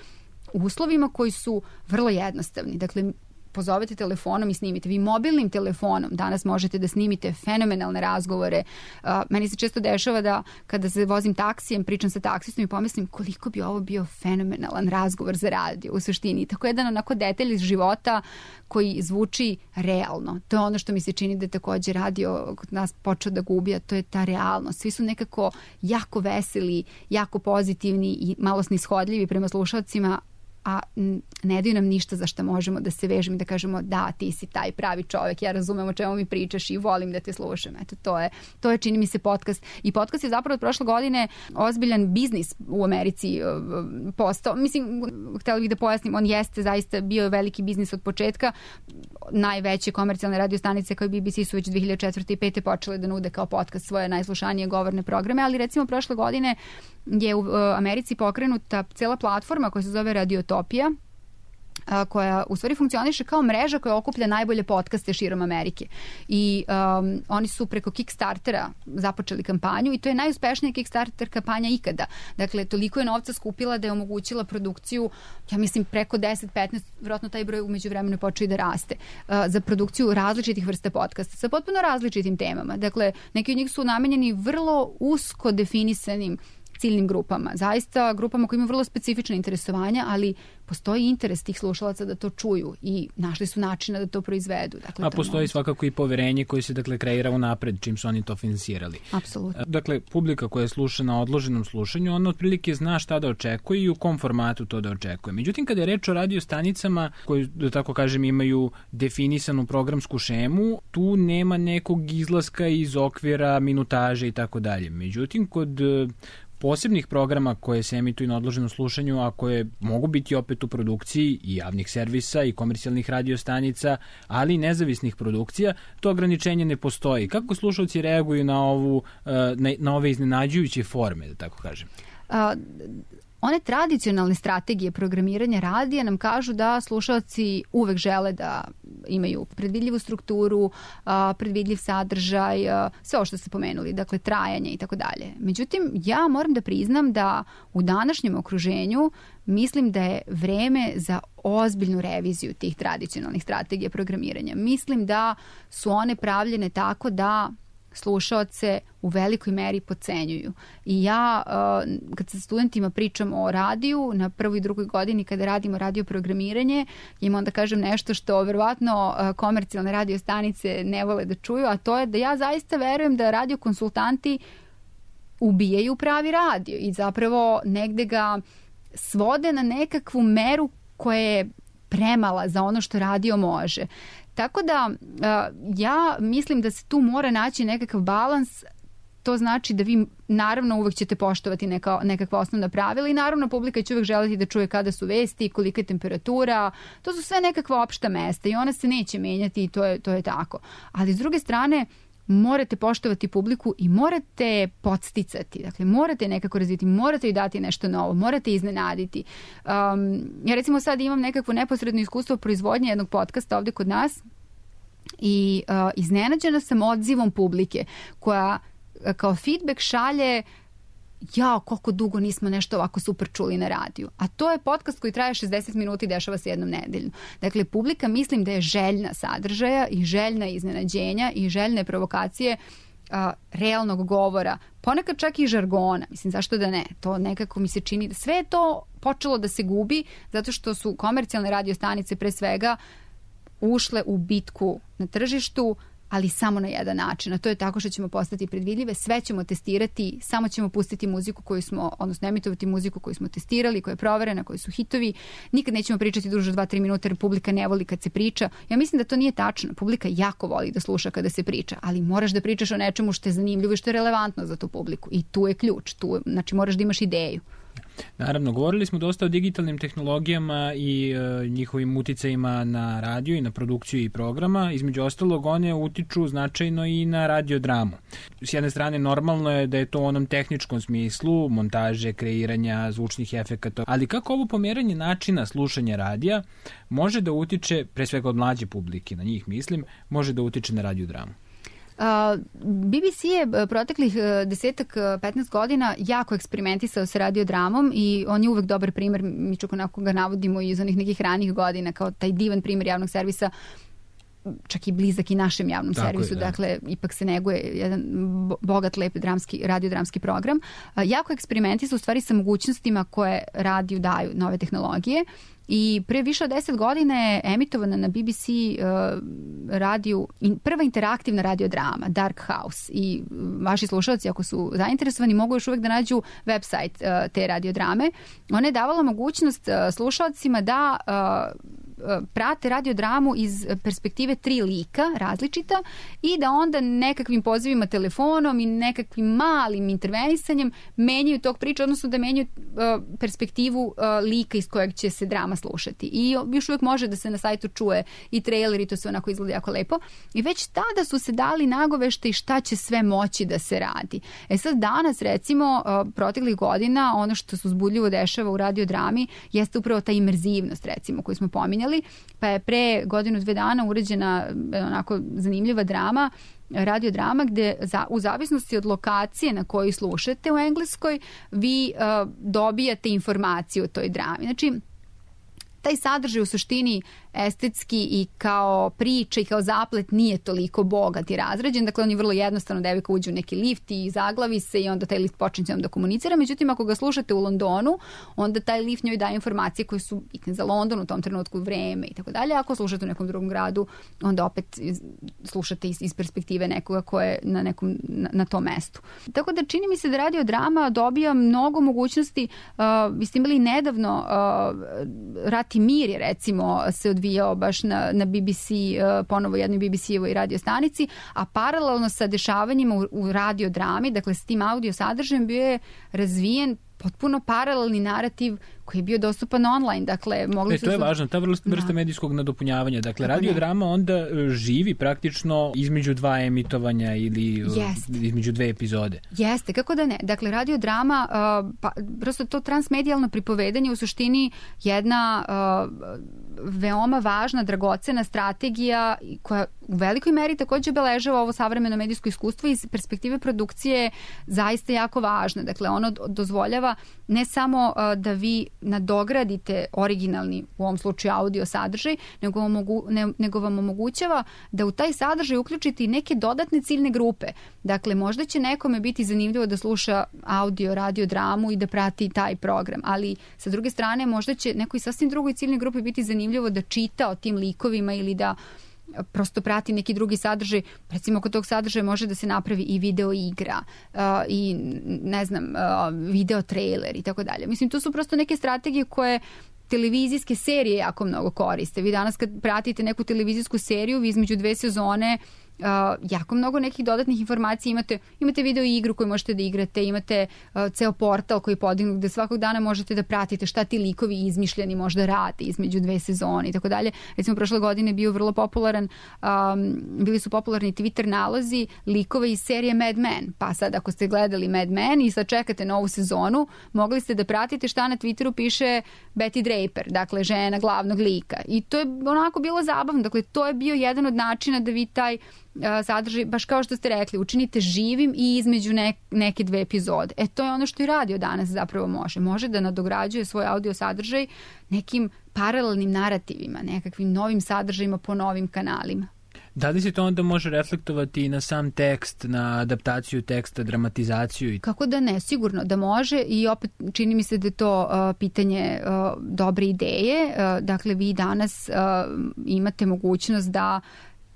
u uslovima koji su vrlo jednostavni. Dakle, pozovete telefonom i snimite. Vi mobilnim telefonom danas možete da snimite fenomenalne razgovore. Uh, meni se često dešava da kada se vozim taksijem, pričam sa taksistom i pomislim koliko bi ovo bio fenomenalan razgovor za radio u suštini. Tako jedan onako detalj iz života koji zvuči realno. To je ono što mi se čini da je također radio kod nas počeo da gubi, a to je ta realnost. Svi su nekako jako veseli, jako pozitivni i malo snishodljivi prema slušalcima, a ne daju nam ništa za što možemo da se vežemo i da kažemo da, ti si taj pravi čovjek, ja razumem o čemu mi pričaš i volim da te slušam. Eto, to je, to je čini mi se podcast. I podcast je zapravo od prošle godine ozbiljan biznis u Americi postao. Mislim, htjela bih da pojasnim, on jeste zaista bio veliki biznis od početka. Najveće komercijalne radio stanice kao i B B C su već dve hiljade četvrte i pete počele da nude kao podcast svoje najslušanije govorne programe, ali recimo prošle godine je u Americi pokrenuta cela platforma koja se zove Radiotopija, koja u stvari funkcioniše kao mreža koja okuplja najbolje podcaste širom Amerike. I um, oni su preko Kickstartera započeli kampanju i to je najuspešnija Kickstarter kampanja ikada. Dakle, toliko je novca skupila da je omogućila produkciju, ja mislim preko deset petnaest, vjerojatno taj broj umeđu vremenu počeo i da raste, uh, za produkciju različitih vrsta podcasta sa potpuno različitim temama. Dakle, neki od njih su namenjeni vrlo usko definisanim ciljnim grupama. Zaista grupama koji imaju vrlo specifične interesovanja, ali postoji interes tih slušalaca da to čuju i našli su načina da to proizvedu. Dakle, a postoji moguće. Svakako i poverenje koje se dakle kreira unapred čim su oni to finansirali. Apsolutno. Dakle, publika koja sluša na odloženom slušanju, ona otprilike zna šta da očekuje i u kom formatu to da očekuje. Međutim, kada je reč o radio stanicama koji, da tako kažem, imaju definisanu programsku šemu, tu nema nekog izlaska iz okvira minutaže i tako dalje. Međutim, kod posebnih programa koje se emituju na odloženom slušanju, a koje mogu biti opet u produkciji i javnih servisa i komercijalnih radiostanica, ali i nezavisnih produkcija, to ograničenje ne postoji. Kako slušalci reaguju na ovu na, na ove iznenađujuće forme, da tako kažem? A, one tradicionalne strategije programiranja radija nam kažu da slušalci uvek žele da imaju predvidljivu strukturu, predvidljiv sadržaj, sve ovo što ste pomenuli, dakle trajanje i tako dalje. Međutim, ja moram da priznam da u današnjem okruženju mislim da je vreme za ozbiljnu reviziju tih tradicionalnih strategija programiranja. Mislim da su one pravljene tako da slušaoce u velikoj meri podcenjuju. I ja, kad sa studentima pričam o radiju, na prvoj i drugoj godini kada radimo radio programiranje, im onda kažem nešto što verovatno komercijalne radio stanice ne vole da čuju, a to je da ja zaista verujem da radio konsultanti ubijaju pravi radio i zapravo negde ga svode na nekakvu meru koja je premala za ono što radio može. Tako da ja mislim da se tu mora naći nekakav balans. To znači da vi naravno uvek ćete poštovati neka, nekakva osnovna pravila i naravno publika će uvek želiti da čuje kada su vesti, kolika je temperatura. To su sve nekakva opšta mesta i ona se neće menjati i to je, to je tako. Ali s druge strane morate poštovati publiku i morate podsticati. Dakle, morate nekako razviti, morate i dati nešto novo, morate iznenaditi. Um, ja recimo sad imam nekakvo neposredno iskustvo proizvodnje jednog podcasta ovdje kod nas i uh, iznenađena sam odzivom publike koja kao feedback šalje jao, koliko dugo nismo nešto ovako super čuli na radiju. A to je podcast koji traje šezdeset minuta i dešava se jednom nedeljno. Dakle, publika mislim da je željna sadržaja i željna iznenađenja i željne provokacije a, realnog govora. Ponekad čak i žargona. Mislim, zašto da ne? To nekako mi se čini da sve je to počelo da se gubi zato što su komercijalne radiostanice pre svega ušle u bitku na tržištu, ali samo na jedan način, a to je tako što ćemo postati predvidljive, sve ćemo testirati, samo ćemo pustiti muziku koju smo, odnosno emitovati muziku koju smo testirali, koja je proverena, koji su hitovi, nikad nećemo pričati duže od dva do tri minuta jer publika ne voli kad se priča. Ja mislim da to nije tačno, publika jako voli da sluša kada se priča, ali moraš da pričaš o nečemu što je zanimljivo i što je relevantno za tu publiku i tu je ključ, tu, znači moraš da imaš ideju. Naravno, govorili smo dosta o digitalnim tehnologijama i e, njihovim uticajima na radio i na produkciju i programa. Između ostalog, one utiču značajno i na radiodramu. S jedne strane, normalno je da je to u onom tehničkom smislu, montaže, kreiranja, zvučnih efekata, ali kako ovo pomeranje načina slušanja radija može da utiče, pre svega od mlađe publike, na njih mislim, može da utiče na radiodramu? Uh, B B C je proteklih desetak, petnaest godina jako eksperimentisao sa radiodramom i on je uvek dobar primer, mi čak onako ga navodimo iz onih nekih ranih godina kao taj divan primer javnog servisa, čak i blizak i našem javnom Tako servisu, je, da. Dakle, ipak se neguje jedan bogat, lep dramski, radiodramski program. Uh, jako eksperimentisao u stvari sa mogućnostima koje radiju daju nove tehnologije. I pre više od deset godina je emitovana na B B C uh, radiju in, prva interaktivna radiodrama Dark House i vaši slušalci ako su zainteresovani mogu još uvek da nađu website uh, te radiodrame. Ona je davala mogućnost uh, slušalcima da uh, prate radiodramu iz perspektive tri lika različita i da onda nekakvim pozivima telefonom i nekakvim malim intervenisanjem menjaju tog priča, odnosno da menjaju uh, perspektivu uh, lika iz kojeg će se drama slušati. I još uvijek može da se na sajtu čuje i trailer i to sve onako izgleda jako lepo. I već tada su se dali nagovešte i šta će sve moći da se radi. E sad danas recimo uh, proteklih godina ono što se uzbudljivo dešava u radiodrami jeste upravo ta imerzivnost recimo koju smo pominjali. Pa je pre godinu dve dana urađena onako zanimljiva drama, radiodrama gde za, u zavisnosti od lokacije na kojoj slušate u Engleskoj vi uh, dobijate informaciju o toj drami. Znači, taj sadržaj u suštini estetski i kao priča i kao zaplet nije toliko bogat i razrađen. Dakle, on je vrlo jednostavno, devojka uđe u neki lift i zaglavi se i onda taj lift počne da komunicira. Međutim, ako ga slušate u Londonu, onda taj lift njoj daje informacije koje su bitne za London u tom trenutku, vreme i tako dalje. Ako slušate u nekom drugom gradu, onda opet slušate iz, iz perspektive nekoga ko je na, nekom, na, na tom mestu. Tako da čini mi se da radiodrama dobija mnogo mogućnosti. Uh, vi ste imali nedavno uh, Rat i mir je recimo se odvijao baš na, na B B C, uh, ponovo jednoj B B C-evoj radio stanici, a paralelno sa dešavanjima u, u radiodrami, dakle s tim audio sadržajem bio je razvijen potpuno paralelni narativ koji je bio dostupan online. Dakle, mogli e, su... To je važno, ta vrsta, vrsta medijskog nadopunjavanja. Dakle, radiodrama onda živi praktično između dva emitovanja ili Jeste. između dve epizode. Jeste, kako da ne. Dakle, radiodrama, uh, pa, prosto to transmedijalno pripovedanje u suštini jedna uh, veoma važna, dragocena strategija koja u velikoj meri takođe obeležava ovo savremeno medijsko iskustvo iz perspektive produkcije zaista jako važna. Dakle, ono dozvoljava ne samo uh, da vi nadogradite originalni, u ovom slučaju audio sadržaj, nego vam, mogu, ne, nego vam omogućava da u taj sadržaj uključite i neke dodatne ciljne grupe. Dakle, možda će nekome biti zanimljivo da sluša audio, radio, dramu i da prati taj program, ali sa druge strane možda će nekoj sasvim drugoj ciljnoj grupi biti zanimljivo da čita o tim likovima ili da prosto prati neki drugi sadržaj. Recimo, kod tog sadržaja može da se napravi i video igra uh, i ne znam, uh, video trailer i tako dalje. Mislim, to su prosto neke strategije koje televizijske serije jako mnogo koriste. Vi danas kad pratite neku televizijsku seriju, vi između dve sezone Uh, jako mnogo nekih dodatnih informacija imate. Imate video igru koju možete da igrate, imate uh, ceo portal koji je podignut gde svakog dana možete da pratite šta ti likovi izmišljeni možda rade između dve sezone i tako dalje. Recimo, prošle godine bio vrlo popularan, um, bili su popularni Twitter nalozi likova iz serije Mad Men. Pa sad ako ste gledali Mad Men i sad čekate novu sezonu, mogli ste da pratite šta na Twitteru piše Betty Draper, dakle žena glavnog lika. I to je onako bilo zabavno. Dakle, to je bio jedan od načina da vi taj sadržaj, baš kao što ste rekli, učinite živim i između ne, neke dve epizode. E, to je ono što i radio danas zapravo može. Može da nadograđuje svoj audio sadržaj nekim paralelnim narativima, nekakvim novim sadržajima po novim kanalima. Da li se to onda može reflektovati i na sam tekst, na adaptaciju teksta, dramatizaciju? Kako da ne, sigurno da može i opet čini mi se da je to uh, pitanje uh, dobre ideje. Uh, dakle, vi danas uh, imate mogućnost da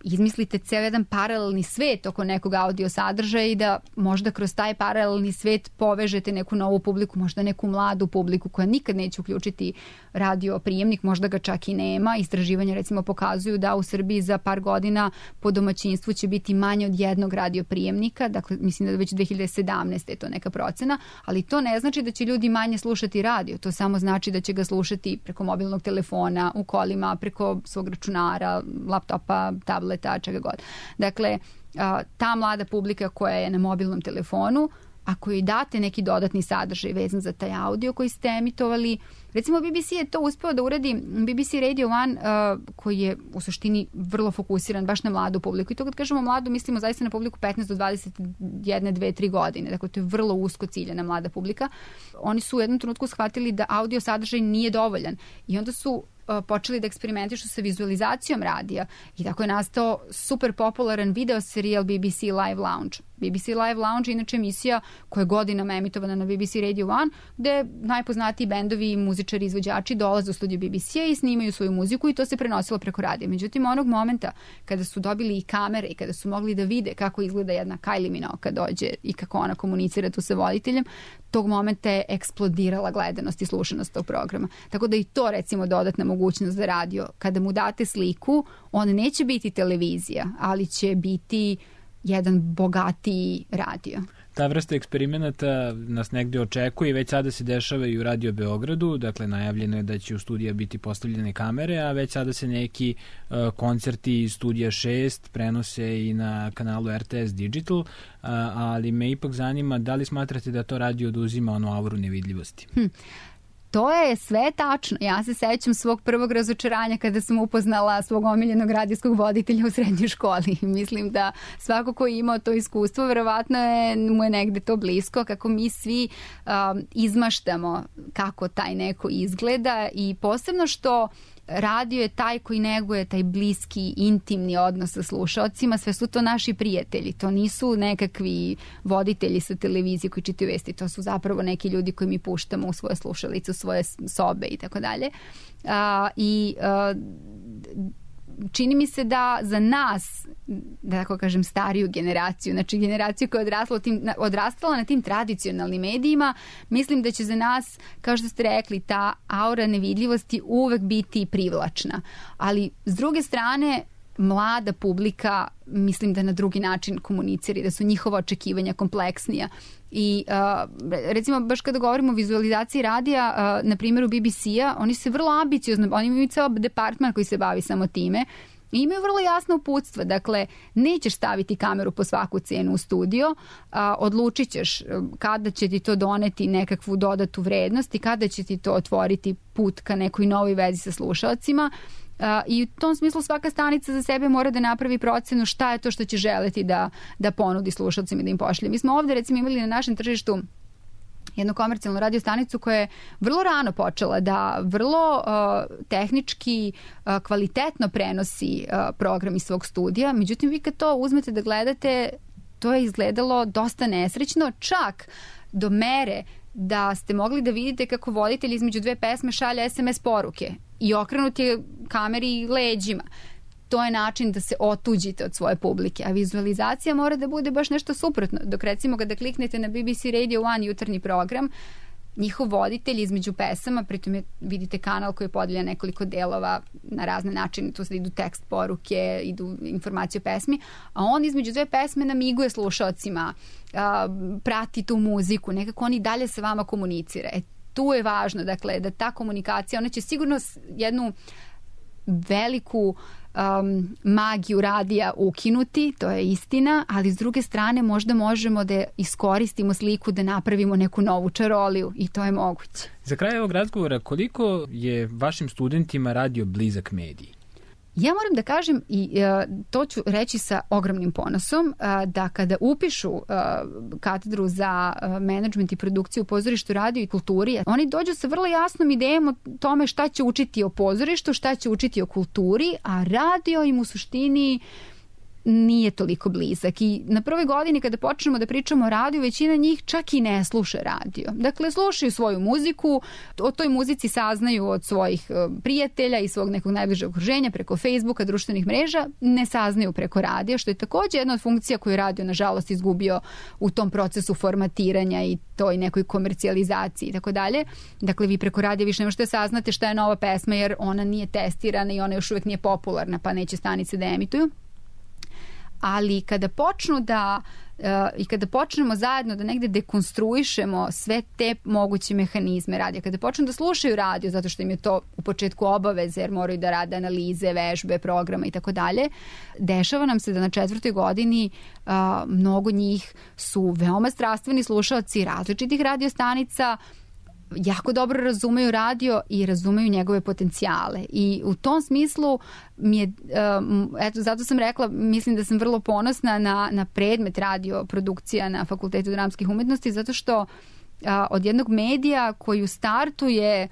izmislite ceo jedan paralelni svet oko nekog audio sadržaja i da možda kroz taj paralelni svet povežete neku novu publiku, možda neku mladu publiku koja nikad neće uključiti radio prijemnik, možda ga čak i nema. Istraživanja recimo pokazuju da u Srbiji za par godina po domaćinstvu će biti manje od jednog radio prijemnika, dakle mislim da već dve hiljade sedamnaeste je to neka procena, ali to ne znači da će ljudi manje slušati radio, to samo znači da će ga slušati preko mobilnog telefona, u kolima, preko svog računara, laptopa, tableta, čega god. Dakle, ta mlada publika koja je na mobilnom telefonu, ako joj date neki dodatni sadržaj vezan za taj audio koji ste emitovali, recimo B B C je to uspeo da uradi, B B C Radio One uh, koji je u suštini vrlo fokusiran baš na mladu publiku. I to kad kažemo mladu, mislimo zaista na publiku petnaest do dvadeset jedan, dve, tri godine. Dakle, to je vrlo usko ciljana mlada publika. Oni su u jednom trenutku shvatili da audio sadržaj nije dovoljan i onda su počeli da eksperimentišu sa vizualizacijom radija i tako je nastao super popularan video serijal B B C Live Lounge. B B C Live Lounge je inače emisija koja je godinama emitovana na B B C Radio One, gde najpoznatiji bendovi, muzičari, izvođači dolaze u studiju B B C-a i snimaju svoju muziku i to se prenosilo preko radija. Međutim, onog momenta kada su dobili i kamere i kada su mogli da vide kako izgleda jedna Kylie Minogue kad dođe i kako ona komunicira tu sa voditeljem, tog momenta je eksplodirala gledanost i slušanost tog programa. Tako da i to recimo dodatna mogućnost za radio. Kada mu date sliku, on neće biti televizija, ali će biti jedan bogatiji radio. Ta vrsta eksperimenata nas negde očekuje i već sada se dešava i u Radio Beogradu, dakle najavljeno je da će u studija biti postavljene kamere, a već sada se neki uh, koncerti iz studija šest prenose i na kanalu R T S Digital, uh, ali me ipak zanima da li smatrate da to radio oduzima onu auru nevidljivosti? Hm. To je sve tačno. Ja se sećam svog prvog razočaranja kada sam upoznala svog omiljenog radijskog voditelja u srednjoj školi. Mislim da svako ko je imao to iskustvo, verovatno je, mu je negde to blisko, kako mi svi um, izmaštamo kako taj neko izgleda i posebno što radio je taj koji neguje taj bliski, intimni odnos sa slušaocima, sve su to naši prijatelji, to nisu nekakvi voditelji sa televizije koji čitaju vesti, to su zapravo neki ljudi koji mi puštamo u svoje slušalice, u svoje sobe i tako dalje. I čini mi se da za nas, da tako kažem, stariju generaciju, znači generaciju koja je odrasla, tim, odrastala na tim tradicionalnim medijima, mislim da će za nas, kao što ste rekli, ta aura nevidljivosti uvek biti privlačna. Ali s druge strane, mlada publika, mislim da na drugi način komunicira, da su njihova očekivanja kompleksnija. I uh, recimo baš kada govorimo o vizualizaciji radija, uh, na primjeru B B C-a, oni se vrlo ambiciozno, oni imaju ceo departman koji se bavi samo time i imaju vrlo jasno uputstva. Dakle, nećeš staviti kameru po svaku cenu u studio, a, odlučit ćeš kada će ti to doneti nekakvu dodatu vrednost i kada će ti to otvoriti put ka nekoj novoj vezi sa slušalcima. Uh, i u tom smislu svaka stanica za sebe mora da napravi procenu šta je to što će želeti da, da ponudi slušalcima i da im pošalje. Mi smo ovde recimo imali na našem tržištu jednu komercijalnu radio stanicu koja je vrlo rano počela da vrlo uh, tehnički uh, kvalitetno prenosi uh, program iz svog studija. Međutim, vi kad to uzmete da gledate, to je izgledalo dosta nesrećno, čak do mere da ste mogli da vidite kako voditelj između dve pesme šalje S M S poruke i okrenut je kameri leđima. To je način da se otuđite od svoje publike, a vizualizacija mora da bude baš nešto suprotno. Dok recimo kada kliknete na B B C Radio One jutarnji program, njihov voditelj između pesama, pritom je, vidite kanal koji je podeljen nekoliko delova na razne načine, tu se idu tekst poruke, idu informacije o pesmi, a on između dve pesme namiguje slušaocima, a, prati tu muziku, nekako on i dalje sa vama komunicira. E, tu je važno, dakle, da ta komunikacija, ona će sigurno jednu veliku um, magiju radija ukinuti, to je istina, ali s druge strane možda možemo da iskoristimo sliku da napravimo neku novu čaroliju i to je moguće. Za kraj ovog razgovora, koliko je vašim studentima radio blizak medij? Ja moram da kažem, i uh, to ću reći sa ogromnim ponosom, uh, da kada upišu uh, katedru za uh, menadžment i produkciju u pozorištu, radio i kulturi, oni dođu sa vrlo jasnom idejom o tome šta će učiti o pozorištu, šta će učiti o kulturi, a radio im u suštini nije toliko blizak. I na prvoj godini kada počnemo da pričamo o radiju, većina njih čak i ne sluša radio. Dakle, slušaju svoju muziku, o toj muzici saznaju od svojih prijatelja i svog nekog najbližeg okruženja preko Facebooka, društvenih mreža, ne saznaju preko radija, što je također jedna od funkcija koju je radio, nažalost, izgubio u tom procesu formatiranja i toj nekoj komercijalizaciji i tako dalje. Dakle, vi preko radija više ne možete saznate šta je nova pesma jer ona nije testirana i ona još uvijek nije popularna, pa neće stanice da emituju. Ali kada počnu da uh, i kada počnemo zajedno da negde dekonstruišemo sve te moguće mehanizme radija, kada počnu da slušaju radio zato što im je to u početku obaveze jer moraju da rade analize, vežbe, programa i tako dalje, dešava nam se da na četvrtoj godini uh, mnogo njih su veoma strastveni slušaoci različitih radiostanica, jako dobro razumeju radio i razumeju njegove potencijale. I u tom smislu mi je, eto, zato sam rekla, mislim da sam vrlo ponosna na, na predmet radio produkcija na Fakultetu dramskih umetnosti, zato što a, od jednog medija koji u startu je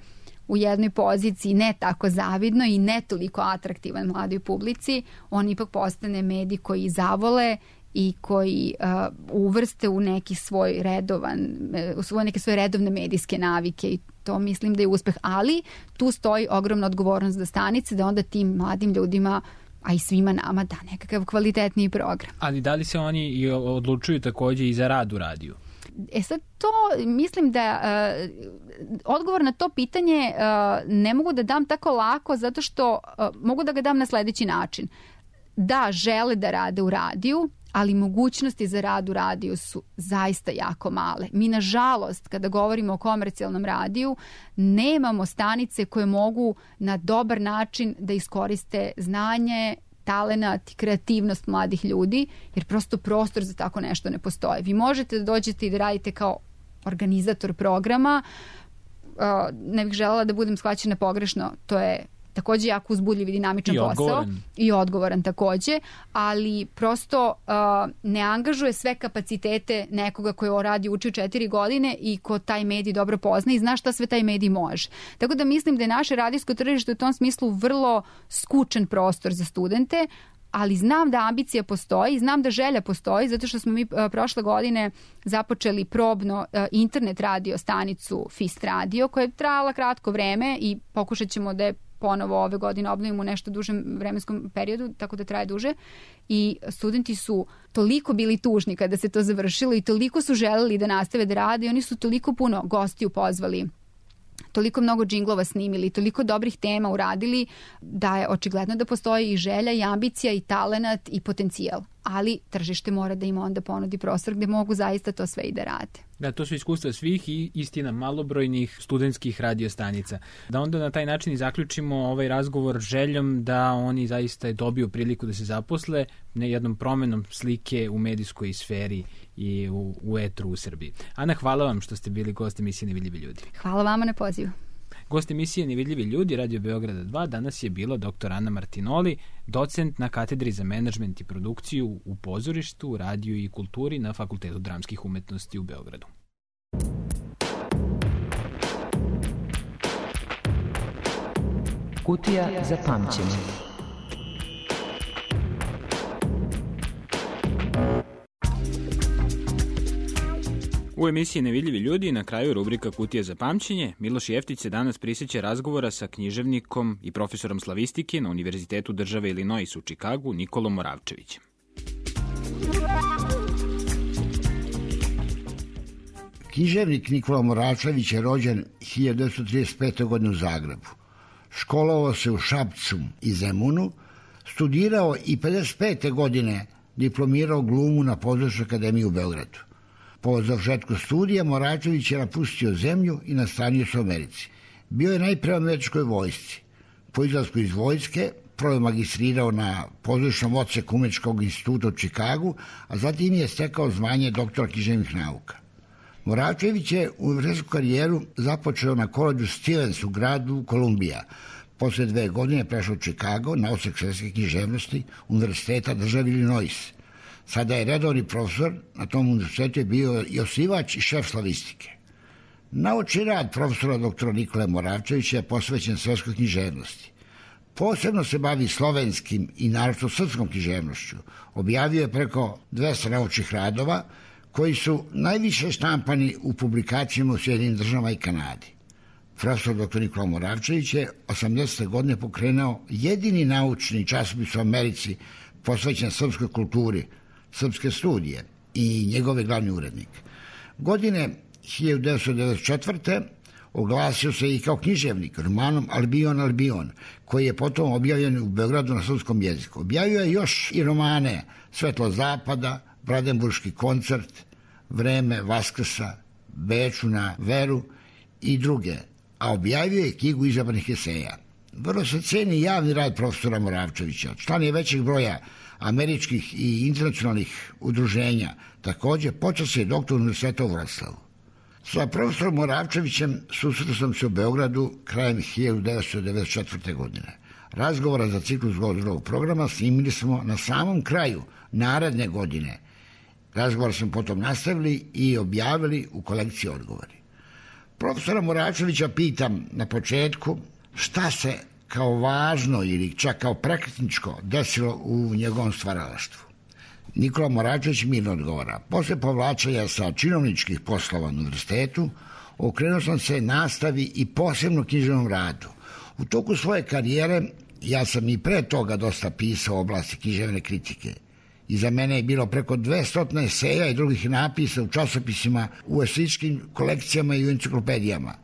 u jednoj poziciji ne tako zavidno i ne toliko atraktivan mladoj publici, on ipak postane medij koji zavole i koji uh, uvrste u neki svoj redovan, u svoje neke svoje redovne medijske navike i to mislim da je uspeh, ali tu stoji ogromna odgovornost za stanice da onda tim mladim ljudima, a i svima nama da nekakav kvalitetniji program. Ali da li se oni i odlučuju također i za rad u radiju? E sad to mislim da uh, odgovor na to pitanje uh, ne mogu da dam tako lako zato što uh, mogu da ga dam na sledeći način. Da, žele da rade u radiju, ali mogućnosti za rad u radiju su zaista jako male. Mi, nažalost, kada govorimo o komercijalnom radiju, nemamo stanice koje mogu na dobar način da iskoriste znanje, talenat i kreativnost mladih ljudi, jer prosto prostor za tako nešto ne postoji. Vi možete da dođete i da radite kao organizator programa. Ne bih želela da budem shvaćena pogrešno, to je također jako uzbudljiv i dinamičan I posao. Odgovoran. I odgovoran također, ali prosto uh, ne angažuje sve kapacitete nekoga koji radi uči četiri godine i ko taj medij dobro pozna i zna šta sve taj medij može. Tako da mislim da je naše radijsko tržište u tom smislu vrlo skučen prostor za studente, ali znam da ambicija postoji, znam da želja postoji, zato što smo mi uh, prošle godine započeli probno uh, internet radio stanicu Fist Radio, koja je trajala kratko vreme i pokušat ćemo da je ponovo ove godine obnovimo u nešto dužem vremenskom periodu, tako da traje duže. I studenti su toliko bili tužni kada se to završilo i toliko su želeli da nastave da rade i oni su toliko puno gostiju pozvali, toliko mnogo džinglova snimili, toliko dobrih tema uradili da je očigledno da postoji i želja i ambicija i talenat i potencijal. Ali tržište mora da im onda ponudi prostor gde mogu zaista to sve i da rade. Da, to su iskustva svih i istina malobrojnih studentskih radiostanica. Da onda na taj način i zaključimo ovaj razgovor željom da oni zaista dobiju priliku da se zaposle ne jednom promenom slike u medijskoj sferi i u, u etru u Srbiji. Ana, hvala vam što ste bili gost emisije Nevidljivi ljudi. Hvala vama na pozivu. Gost emisije Nevidljivi ljudi Radio Beograda dva danas je bila doktor Ana Martinoli, docent na katedri za menadžment i produkciju u pozorištu, radiju i kulturi na Fakultetu dramskih umetnosti u Beogradu. Kutija za pamćenje. U emisiji Nevidljivi ljudi na kraju rubrika Kutija za pamćenje Miloš Jeftić se danas prisjeća razgovora sa književnikom i profesorom slavistike na Univerzitetu države Illinois u Čikagu Nikolom Moravčevićem. Književnik Nikola Moravčević je rođen hiljadu devetsto trideset pete. godine u Zagrebu. Školovao se u Šapcu i Zemunu, studirao i pedeset pete. godine diplomirao glumu na Pozorišnoj akademiji u Beogradu. Po završetku studija Moravčević je napustio zemlju i nastanio se u Americi. Bio je najpre u američkoj vojsci. Po izlasku iz vojske prvo je magistrirao na pozorišnom odseku Umetničkog instituta u Čikagu, a zatim je stekao zvanje doktora književnih nauka. Moravčević je univerzitetsku karijeru započeo na koledžu Stevens u gradu Kolumbija. Posle dve godine prešao u Čikago na odsek svetske književnosti Univerziteta države Illinois. Sada je redovni profesor, na tom univerzitetu je bio i osnivač i šef slavistike. Naučni rad profesora doktora Nikole Moravčevića je posvećen svetskoj književnosti. Posebno se bavi slovenskim i naročito srpskom književnošću. Objavio je preko dvesta naučnih radova koji su najviše štampani u publikacijama u Sjedinim državama i Kanadi. Profesor doktor Nikola Moravčević je osamdesete godine pokrenuo jedini naučni časopis u Americi posvećen srpskoj kulturi, Srpske studije, i njegov je glavni urednik. Godine hiljadu devetsto devedeset četvrte oglasio se i kao književnik romanom Albion, Albion, koji je potom objavljen u Beogradu na srpskom jeziku. Objavio je još i romane Svetlo zapada, Brandenburški koncert, Vreme Vaskrsa, Beču na veru i druge, a objavio je knjigu izabranih eseja. Vrlo se ceni javni rad profesora Moravčevića. Član je većeg broja američkih i internacionalnih udruženja. Također počasni je doktor Univerziteta u Vroclavu. Sa profesorom Moravčevićem susretao sam se u Beogradu krajem hiljadu devetsto devedeset četvrte. godine. Razgovora za ciklus godinskog programa snimili smo na samom kraju naredne godine. Razgovor smo potom nastavili i objavili u kolekciji Odgovori. Profesora Moravčevića pitam na početku šta se kao važno ili čak kao prekretničko desilo u njegovom stvaralaštvu. Nikola Moravčević mirno odgovara. Posle povlačenja sa činovničkih poslova na univerzitetu, okrenuo sam se nastavi i posebno književnom radu. U toku svoje karijere ja sam i pre toga dosta pisao u oblasti književne kritike. Iza mene je bilo preko dvesta eseja i drugih napisa u časopisima, u eseičkim kolekcijama i u enciklopedijama.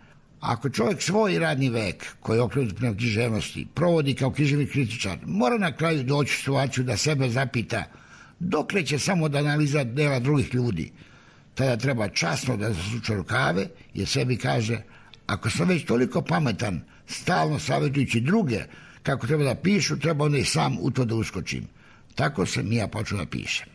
Ako čovjek svoj radni vek, koji je okrenut prema književnosti, provodi kao književni kritičar, mora na kraju doći u situaciju da sebe zapita dokle će samo da analiza dela drugih ljudi. Tada treba časno da zasuče rukave jer sebi kaže, ako sam već toliko pametan, stalno savjetujući druge kako treba da pišu, treba onda i sam u to da uskočim. Tako sam i ja počeo da pišem.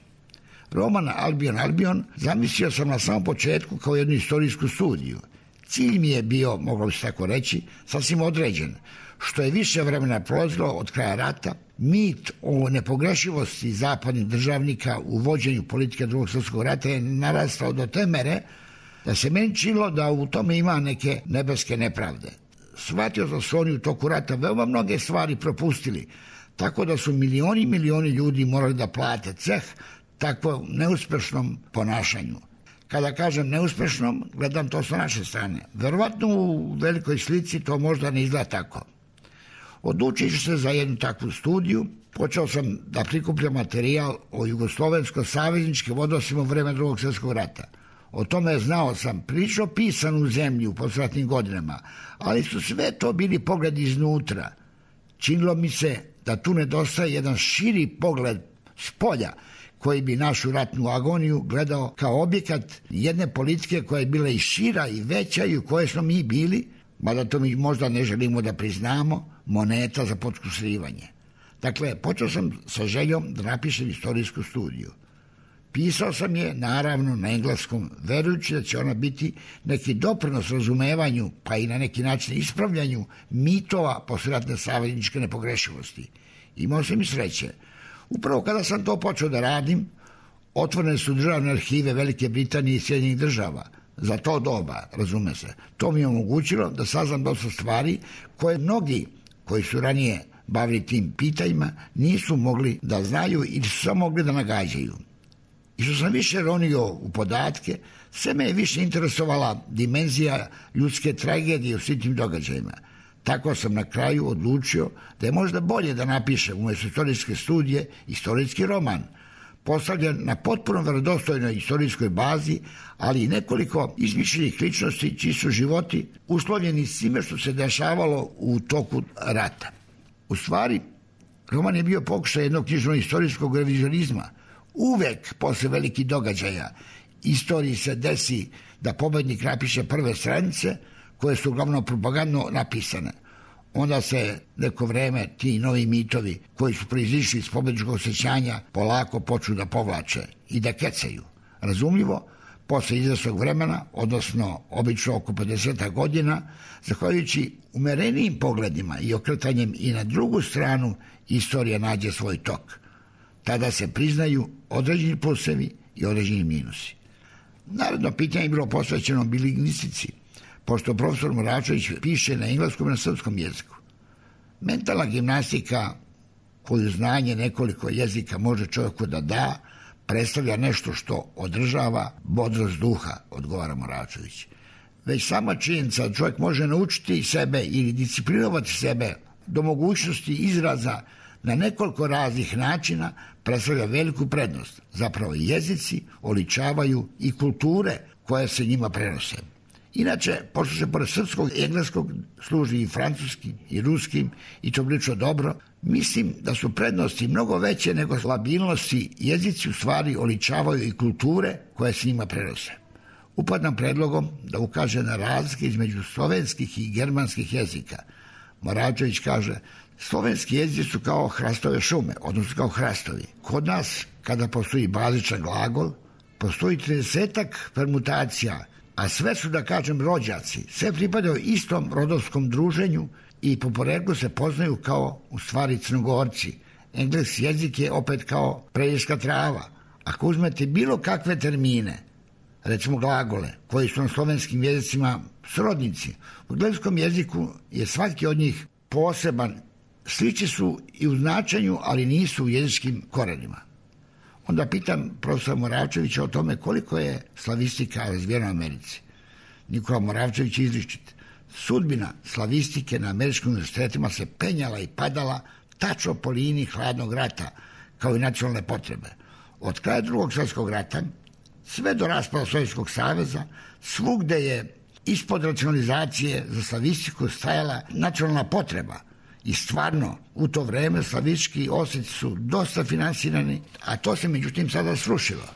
Roman Albion, Albion zamislio sam na samom početku kao jednu istorijsku studiju. Cilj mi je bio, moglo bi se tako reći, sasvim određen. Što je više vremena prolazilo od kraja rata, mit o nepogrešivosti zapadnih državnika u vođenju politike drugog svjetskog rata je narastao do te mere da se meni činilo da u tome ima neke nebeske nepravde. Shvatio da su oni u toku rata veoma mnoge stvari propustili, tako da su milioni i milioni ljudi morali da plate ceh takvom neuspešnom ponašanju. Kada kažem neuspešnom, gledam to sa naše strane. Verovatno u velikoj slici to možda ne izgleda tako. Odlučio se za jednu takvu studiju, počeo sam da prikupljam materijal o jugoslovensko-savezničkim odnosima u vreme drugog svjetskog rata. O tome znao sam prilično pisan u zemlji u posratnim godinama, ali su sve to bili pogledi iznutra. Činilo mi se da tu nedostaje jedan širi pogled s polja, koji bi našu ratnu agoniju gledao kao objekat jedne politike koja je bila i šira i veća i u kojoj smo mi bili, mada to mi možda ne želimo da priznamo, moneta za potkusurivanje. Dakle, počeo sam sa željom da napišem istorijsku studiju. Pisao sam je, naravno, na engleskom, verujući da će ona biti neki doprinos razumevanju, pa i na neki način ispravljanju mitova posleratne savezničke nepogrešivosti. Imao sam i sreće. Upravo kada sam to počeo da radim, otvorene su državne arhive Velike Britanije i Sjedinjenih država. Za to doba, razume se. To mi je omogućilo da saznam dosta stvari koje mnogi koji su ranije bavili tim pitanjima nisu mogli da znaju ili su samo mogli da nagađaju. I što sam više ronio u podatke, sve me je više interesovala dimenzija ljudske tragedije u svim tim događajima. Tako sam na kraju odlučio da je možda bolje da napišem umjesto istorijske studije istorijski roman, postavljen na potpuno verodostojnoj istorijskoj bazi, ali i nekoliko izmišljenih ličnosti čiji su životi uslovljeni svime što se dešavalo u toku rata. U stvari, roman je bio pokušaj jednog knjižno-istorijskog revizionizma. Uvek posle velikih događaja istoriji se desi da pobednik napiše prve stranice koje su uglavnom propagandno napisane. Onda se neko vreme ti novi mitovi koji su proizišli iz pobedničkog osjećanja polako počnu da povlače i da kecaju. Razumljivo, posle izvesnog vremena, odnosno obično oko pedeset godina, zahvaljujući umerenijim pogledima i okretanjem i na drugu stranu, istorija nađe svoj tok. Tada se priznaju određeni plusevi i određeni minusi. Naredno pitanje je bilo posvećeno bilingvistici, pošto profesor Moravčević piše na engleskom i na srpskom jeziku. Mentalna gimnastika koju znanje nekoliko jezika može čovjeku da da, predstavlja nešto što održava bodrost duha, odgovara Moračević. Već sama činjenica da čovjek može naučiti sebe ili disciplinovati sebe do mogućnosti izraza na nekoliko raznih načina predstavlja veliku prednost. Zapravo jezici oličavaju i kulture koje se njima prenose. Inače, pošto se pored srpskog i engleskog služi i francuskim i ruskim i to prilično dobro, mislim da su prednosti mnogo veće nego slabilnosti. Jezici u stvari oličavaju i kulture koje se njima prenose. Upadam predlogom da ukaže na razlike između slovenskih i germanskih jezika. Moračević kaže, slovenski jezici su kao hrastove šume, odnosno kao hrastovi. Kod nas, kada postoji bazičan glagol, postoji tridesetak permutacija, a sve su, da kažem, rođaci. Sve pripadaju istom rodovskom druženju i po poreklu se poznaju kao, u stvari, Crnogorci. Engleski jezik je opet kao prejirska trava. Ako uzmete bilo kakve termine, recimo glagole, koji su na slovenskim jezicima srodnici, u engleskom jeziku je svaki od njih poseban. Slični su i u značenju, ali nisu u jezičkim korenima. Onda pitam profesora Moravčevića o tome koliko je slavistika razvijena u Americi. Nikola Moravčević izričit. Sudbina slavistike na američkim univerzitetima se penjala i padala tačno po liniji hladnog rata, kao i nacionalne potrebe. Od kraja drugog svjetskog rata, sve do raspada Sovjetskog saveza, svugde je ispod racionalizacije za slavistiku stajala nacionalna potreba. I stvarno, u to vreme slavistički osjeci su dosta finansirani, a to se međutim sada srušilo.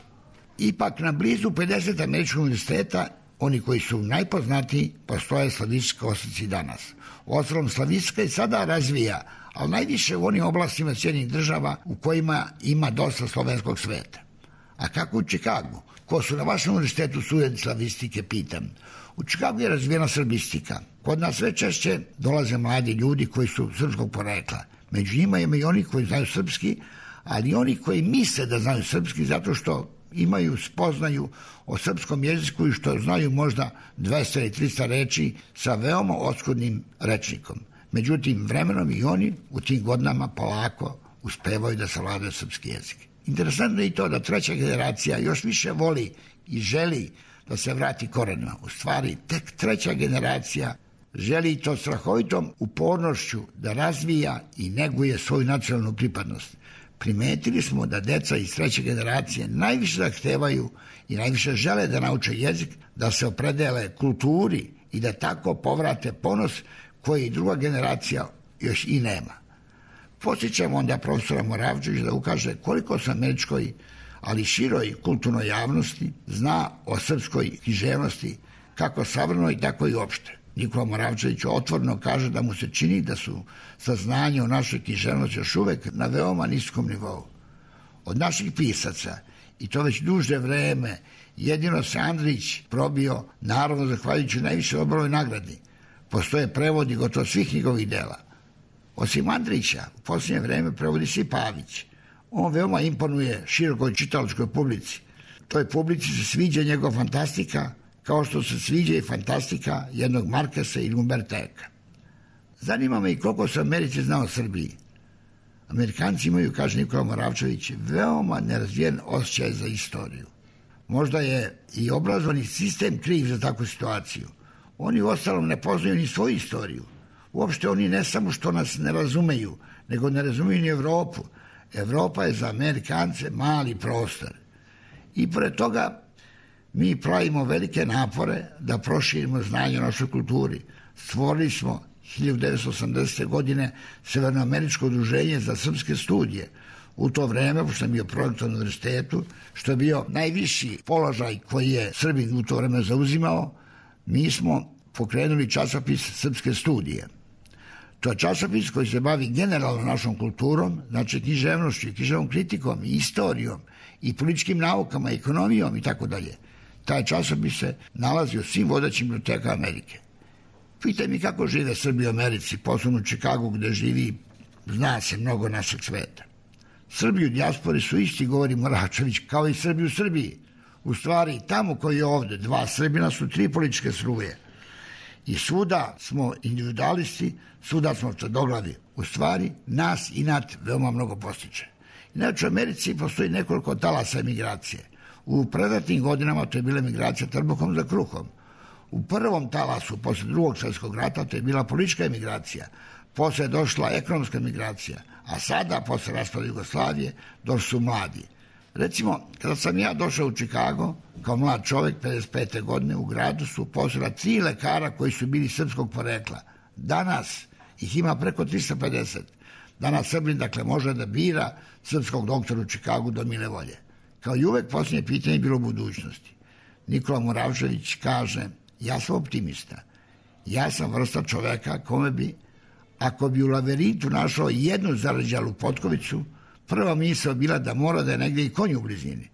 Ipak na blizu pedeset američkih univerziteta, oni koji su najpoznatiji, postoje slavistički osjeci danas. Uostalom, slavistika i sada razvija, ali najviše u onim oblastima Sjedinjenih država u kojima ima dosta slovenskog sveta. A kako u Čikagu? Ko su na vašem univerzitetu studenti slavistike, pitam. U Čikagu je razvijena srbistika. Kod nas sve češće dolaze mladi ljudi koji su srpskog porekla. Među njima ima i oni koji znaju srpski, ali i oni koji misle da znaju srpski zato što imaju spoznaju o srpskom jeziku i što znaju možda dvesta ili trista reči sa veoma oskudnim rečnikom. Međutim, vremenom i oni u tim godinama polako uspevaju da savladaju srpski jezik. Interesantno je i to da treća generacija još više voli i želi da se vrati korenima. U stvari, tek treća generacija želi to strahovitom upornošću da razvija i neguje svoju nacionalnu pripadnost. Primetili smo da deca iz treće generacije najviše zahtevaju i najviše žele da nauče jezik, da se opredele kulturi i da tako povrate ponos koji druga generacija još i nema. Posjećamo onda profesora Moravčevića da ukaže koliko se američkoj, ali široj kulturnoj javnosti zna o srpskoj književnosti, kako savremenoj, tako i opšte. Nikola Moravčević otvoreno kaže da mu se čini da su saznanje o našoj književnosti još uvek na veoma niskom nivou. Od naših pisaca, i to već duže vreme, jedino se Andrić probio, naravno zahvaljujući najviše Nobelovoj nagradi. Postoje prevodi gotovo svih njegovih dela. Osim Andrića, u posljednje vreme prevodi se i Pavić. On veoma imponuje širokoj čitalačkoj publici. Toj publici se sviđa njegov fantastika, kao što se sviđa i fantastika jednog Markesa ili Umberta Eka. Zanima me i koliko se Americi zna o Srbiji. Amerikanci imaju, kaže Nikola Moravčević, veoma nerazvijen osjećaj za istoriju. Možda je i obrazovani sistem kriv za takvu situaciju. Oni u ostalom ne poznaju ni svoju istoriju. Uopšte oni ne samo što nas ne razumeju, nego ne razumeju ni Evropu. Evropa je za Amerikance mali prostor. I pored toga mi pravimo velike napore da proširimo znanje o našoj kulturi. Stvorili smo hiljadu devetsto osamdesete. godine Severnoameričko udruženje za srpske studije. U to vreme, pošto sam bio projektor na univerzitetu, što je bio najviši položaj koji je Srbin u to vreme zauzimao, mi smo pokrenuli časopis Srpske studije. To je časopis koji se bavi generalno našom kulturom, znači književnošću, književnom kritikom i istorijom i političkim naukama, ekonomijom i tako dalje. Taj časopis se nalazi u svim vodećim bibliotekama Amerike. Pitaj mi kako žive Srbi u Americi, posebno u Čikagu gde živi, zna se mnogo našeg sveta. Srbi u dijaspori su isti, govori Moravčević, kao i Srbi u Srbiji. U stvari, tamo koji je ovde, dva Srbina su tri političke struje. I svuda smo individualisti, svuda smo tvrdoglavi. u stvari nas inat veoma mnogo postiče. Inače, u Americi postoji nekoliko talasa emigracije. U predatnim godinama to je bila emigracija trbuhom za kruhom. U prvom talasu, posle drugog svjetskog rata, to je bila politička emigracija. Posle je došla ekonomska emigracija, a sada, posle raspada Jugoslavije, došli su mladi. Recimo, kada sam ja došao u Čikago, kao mlad čovjek, pedeset pete godine, u gradu su postojala tri lekara koji su bili srpskog porekla. Danas ih ima preko trista pedeset. Danas Srbin, dakle, može da bira srpskog doktora u Čikagu do mile volje. Kao i uvek, posljednje pitanje je bilo u budućnosti. Nikola Moravčević kaže, ja sam optimista. Ja sam vrsta čoveka kome bi, ako bi u labirintu našao jednu zarađalu potkovicu, prva misao bila da mora da je negdje i konj u blizini.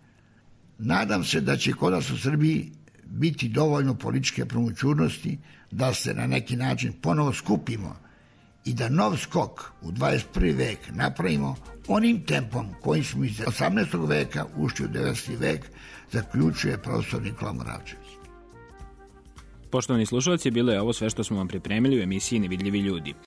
Nadam se da će kod nas u Srbiji biti dovoljno političke promućurnosti da se na neki način ponovo skupimo i da nov skok u dvadeset prvi vek napravimo onim tempom kojim smo iz osamnaestog veka ušli u devetnaesti vek, zaključuje profesor Nikola Moravčević. Poštovani slušalci, bilo je ovo sve što smo vam pripremili u emisiji Nevidljivi ljudi.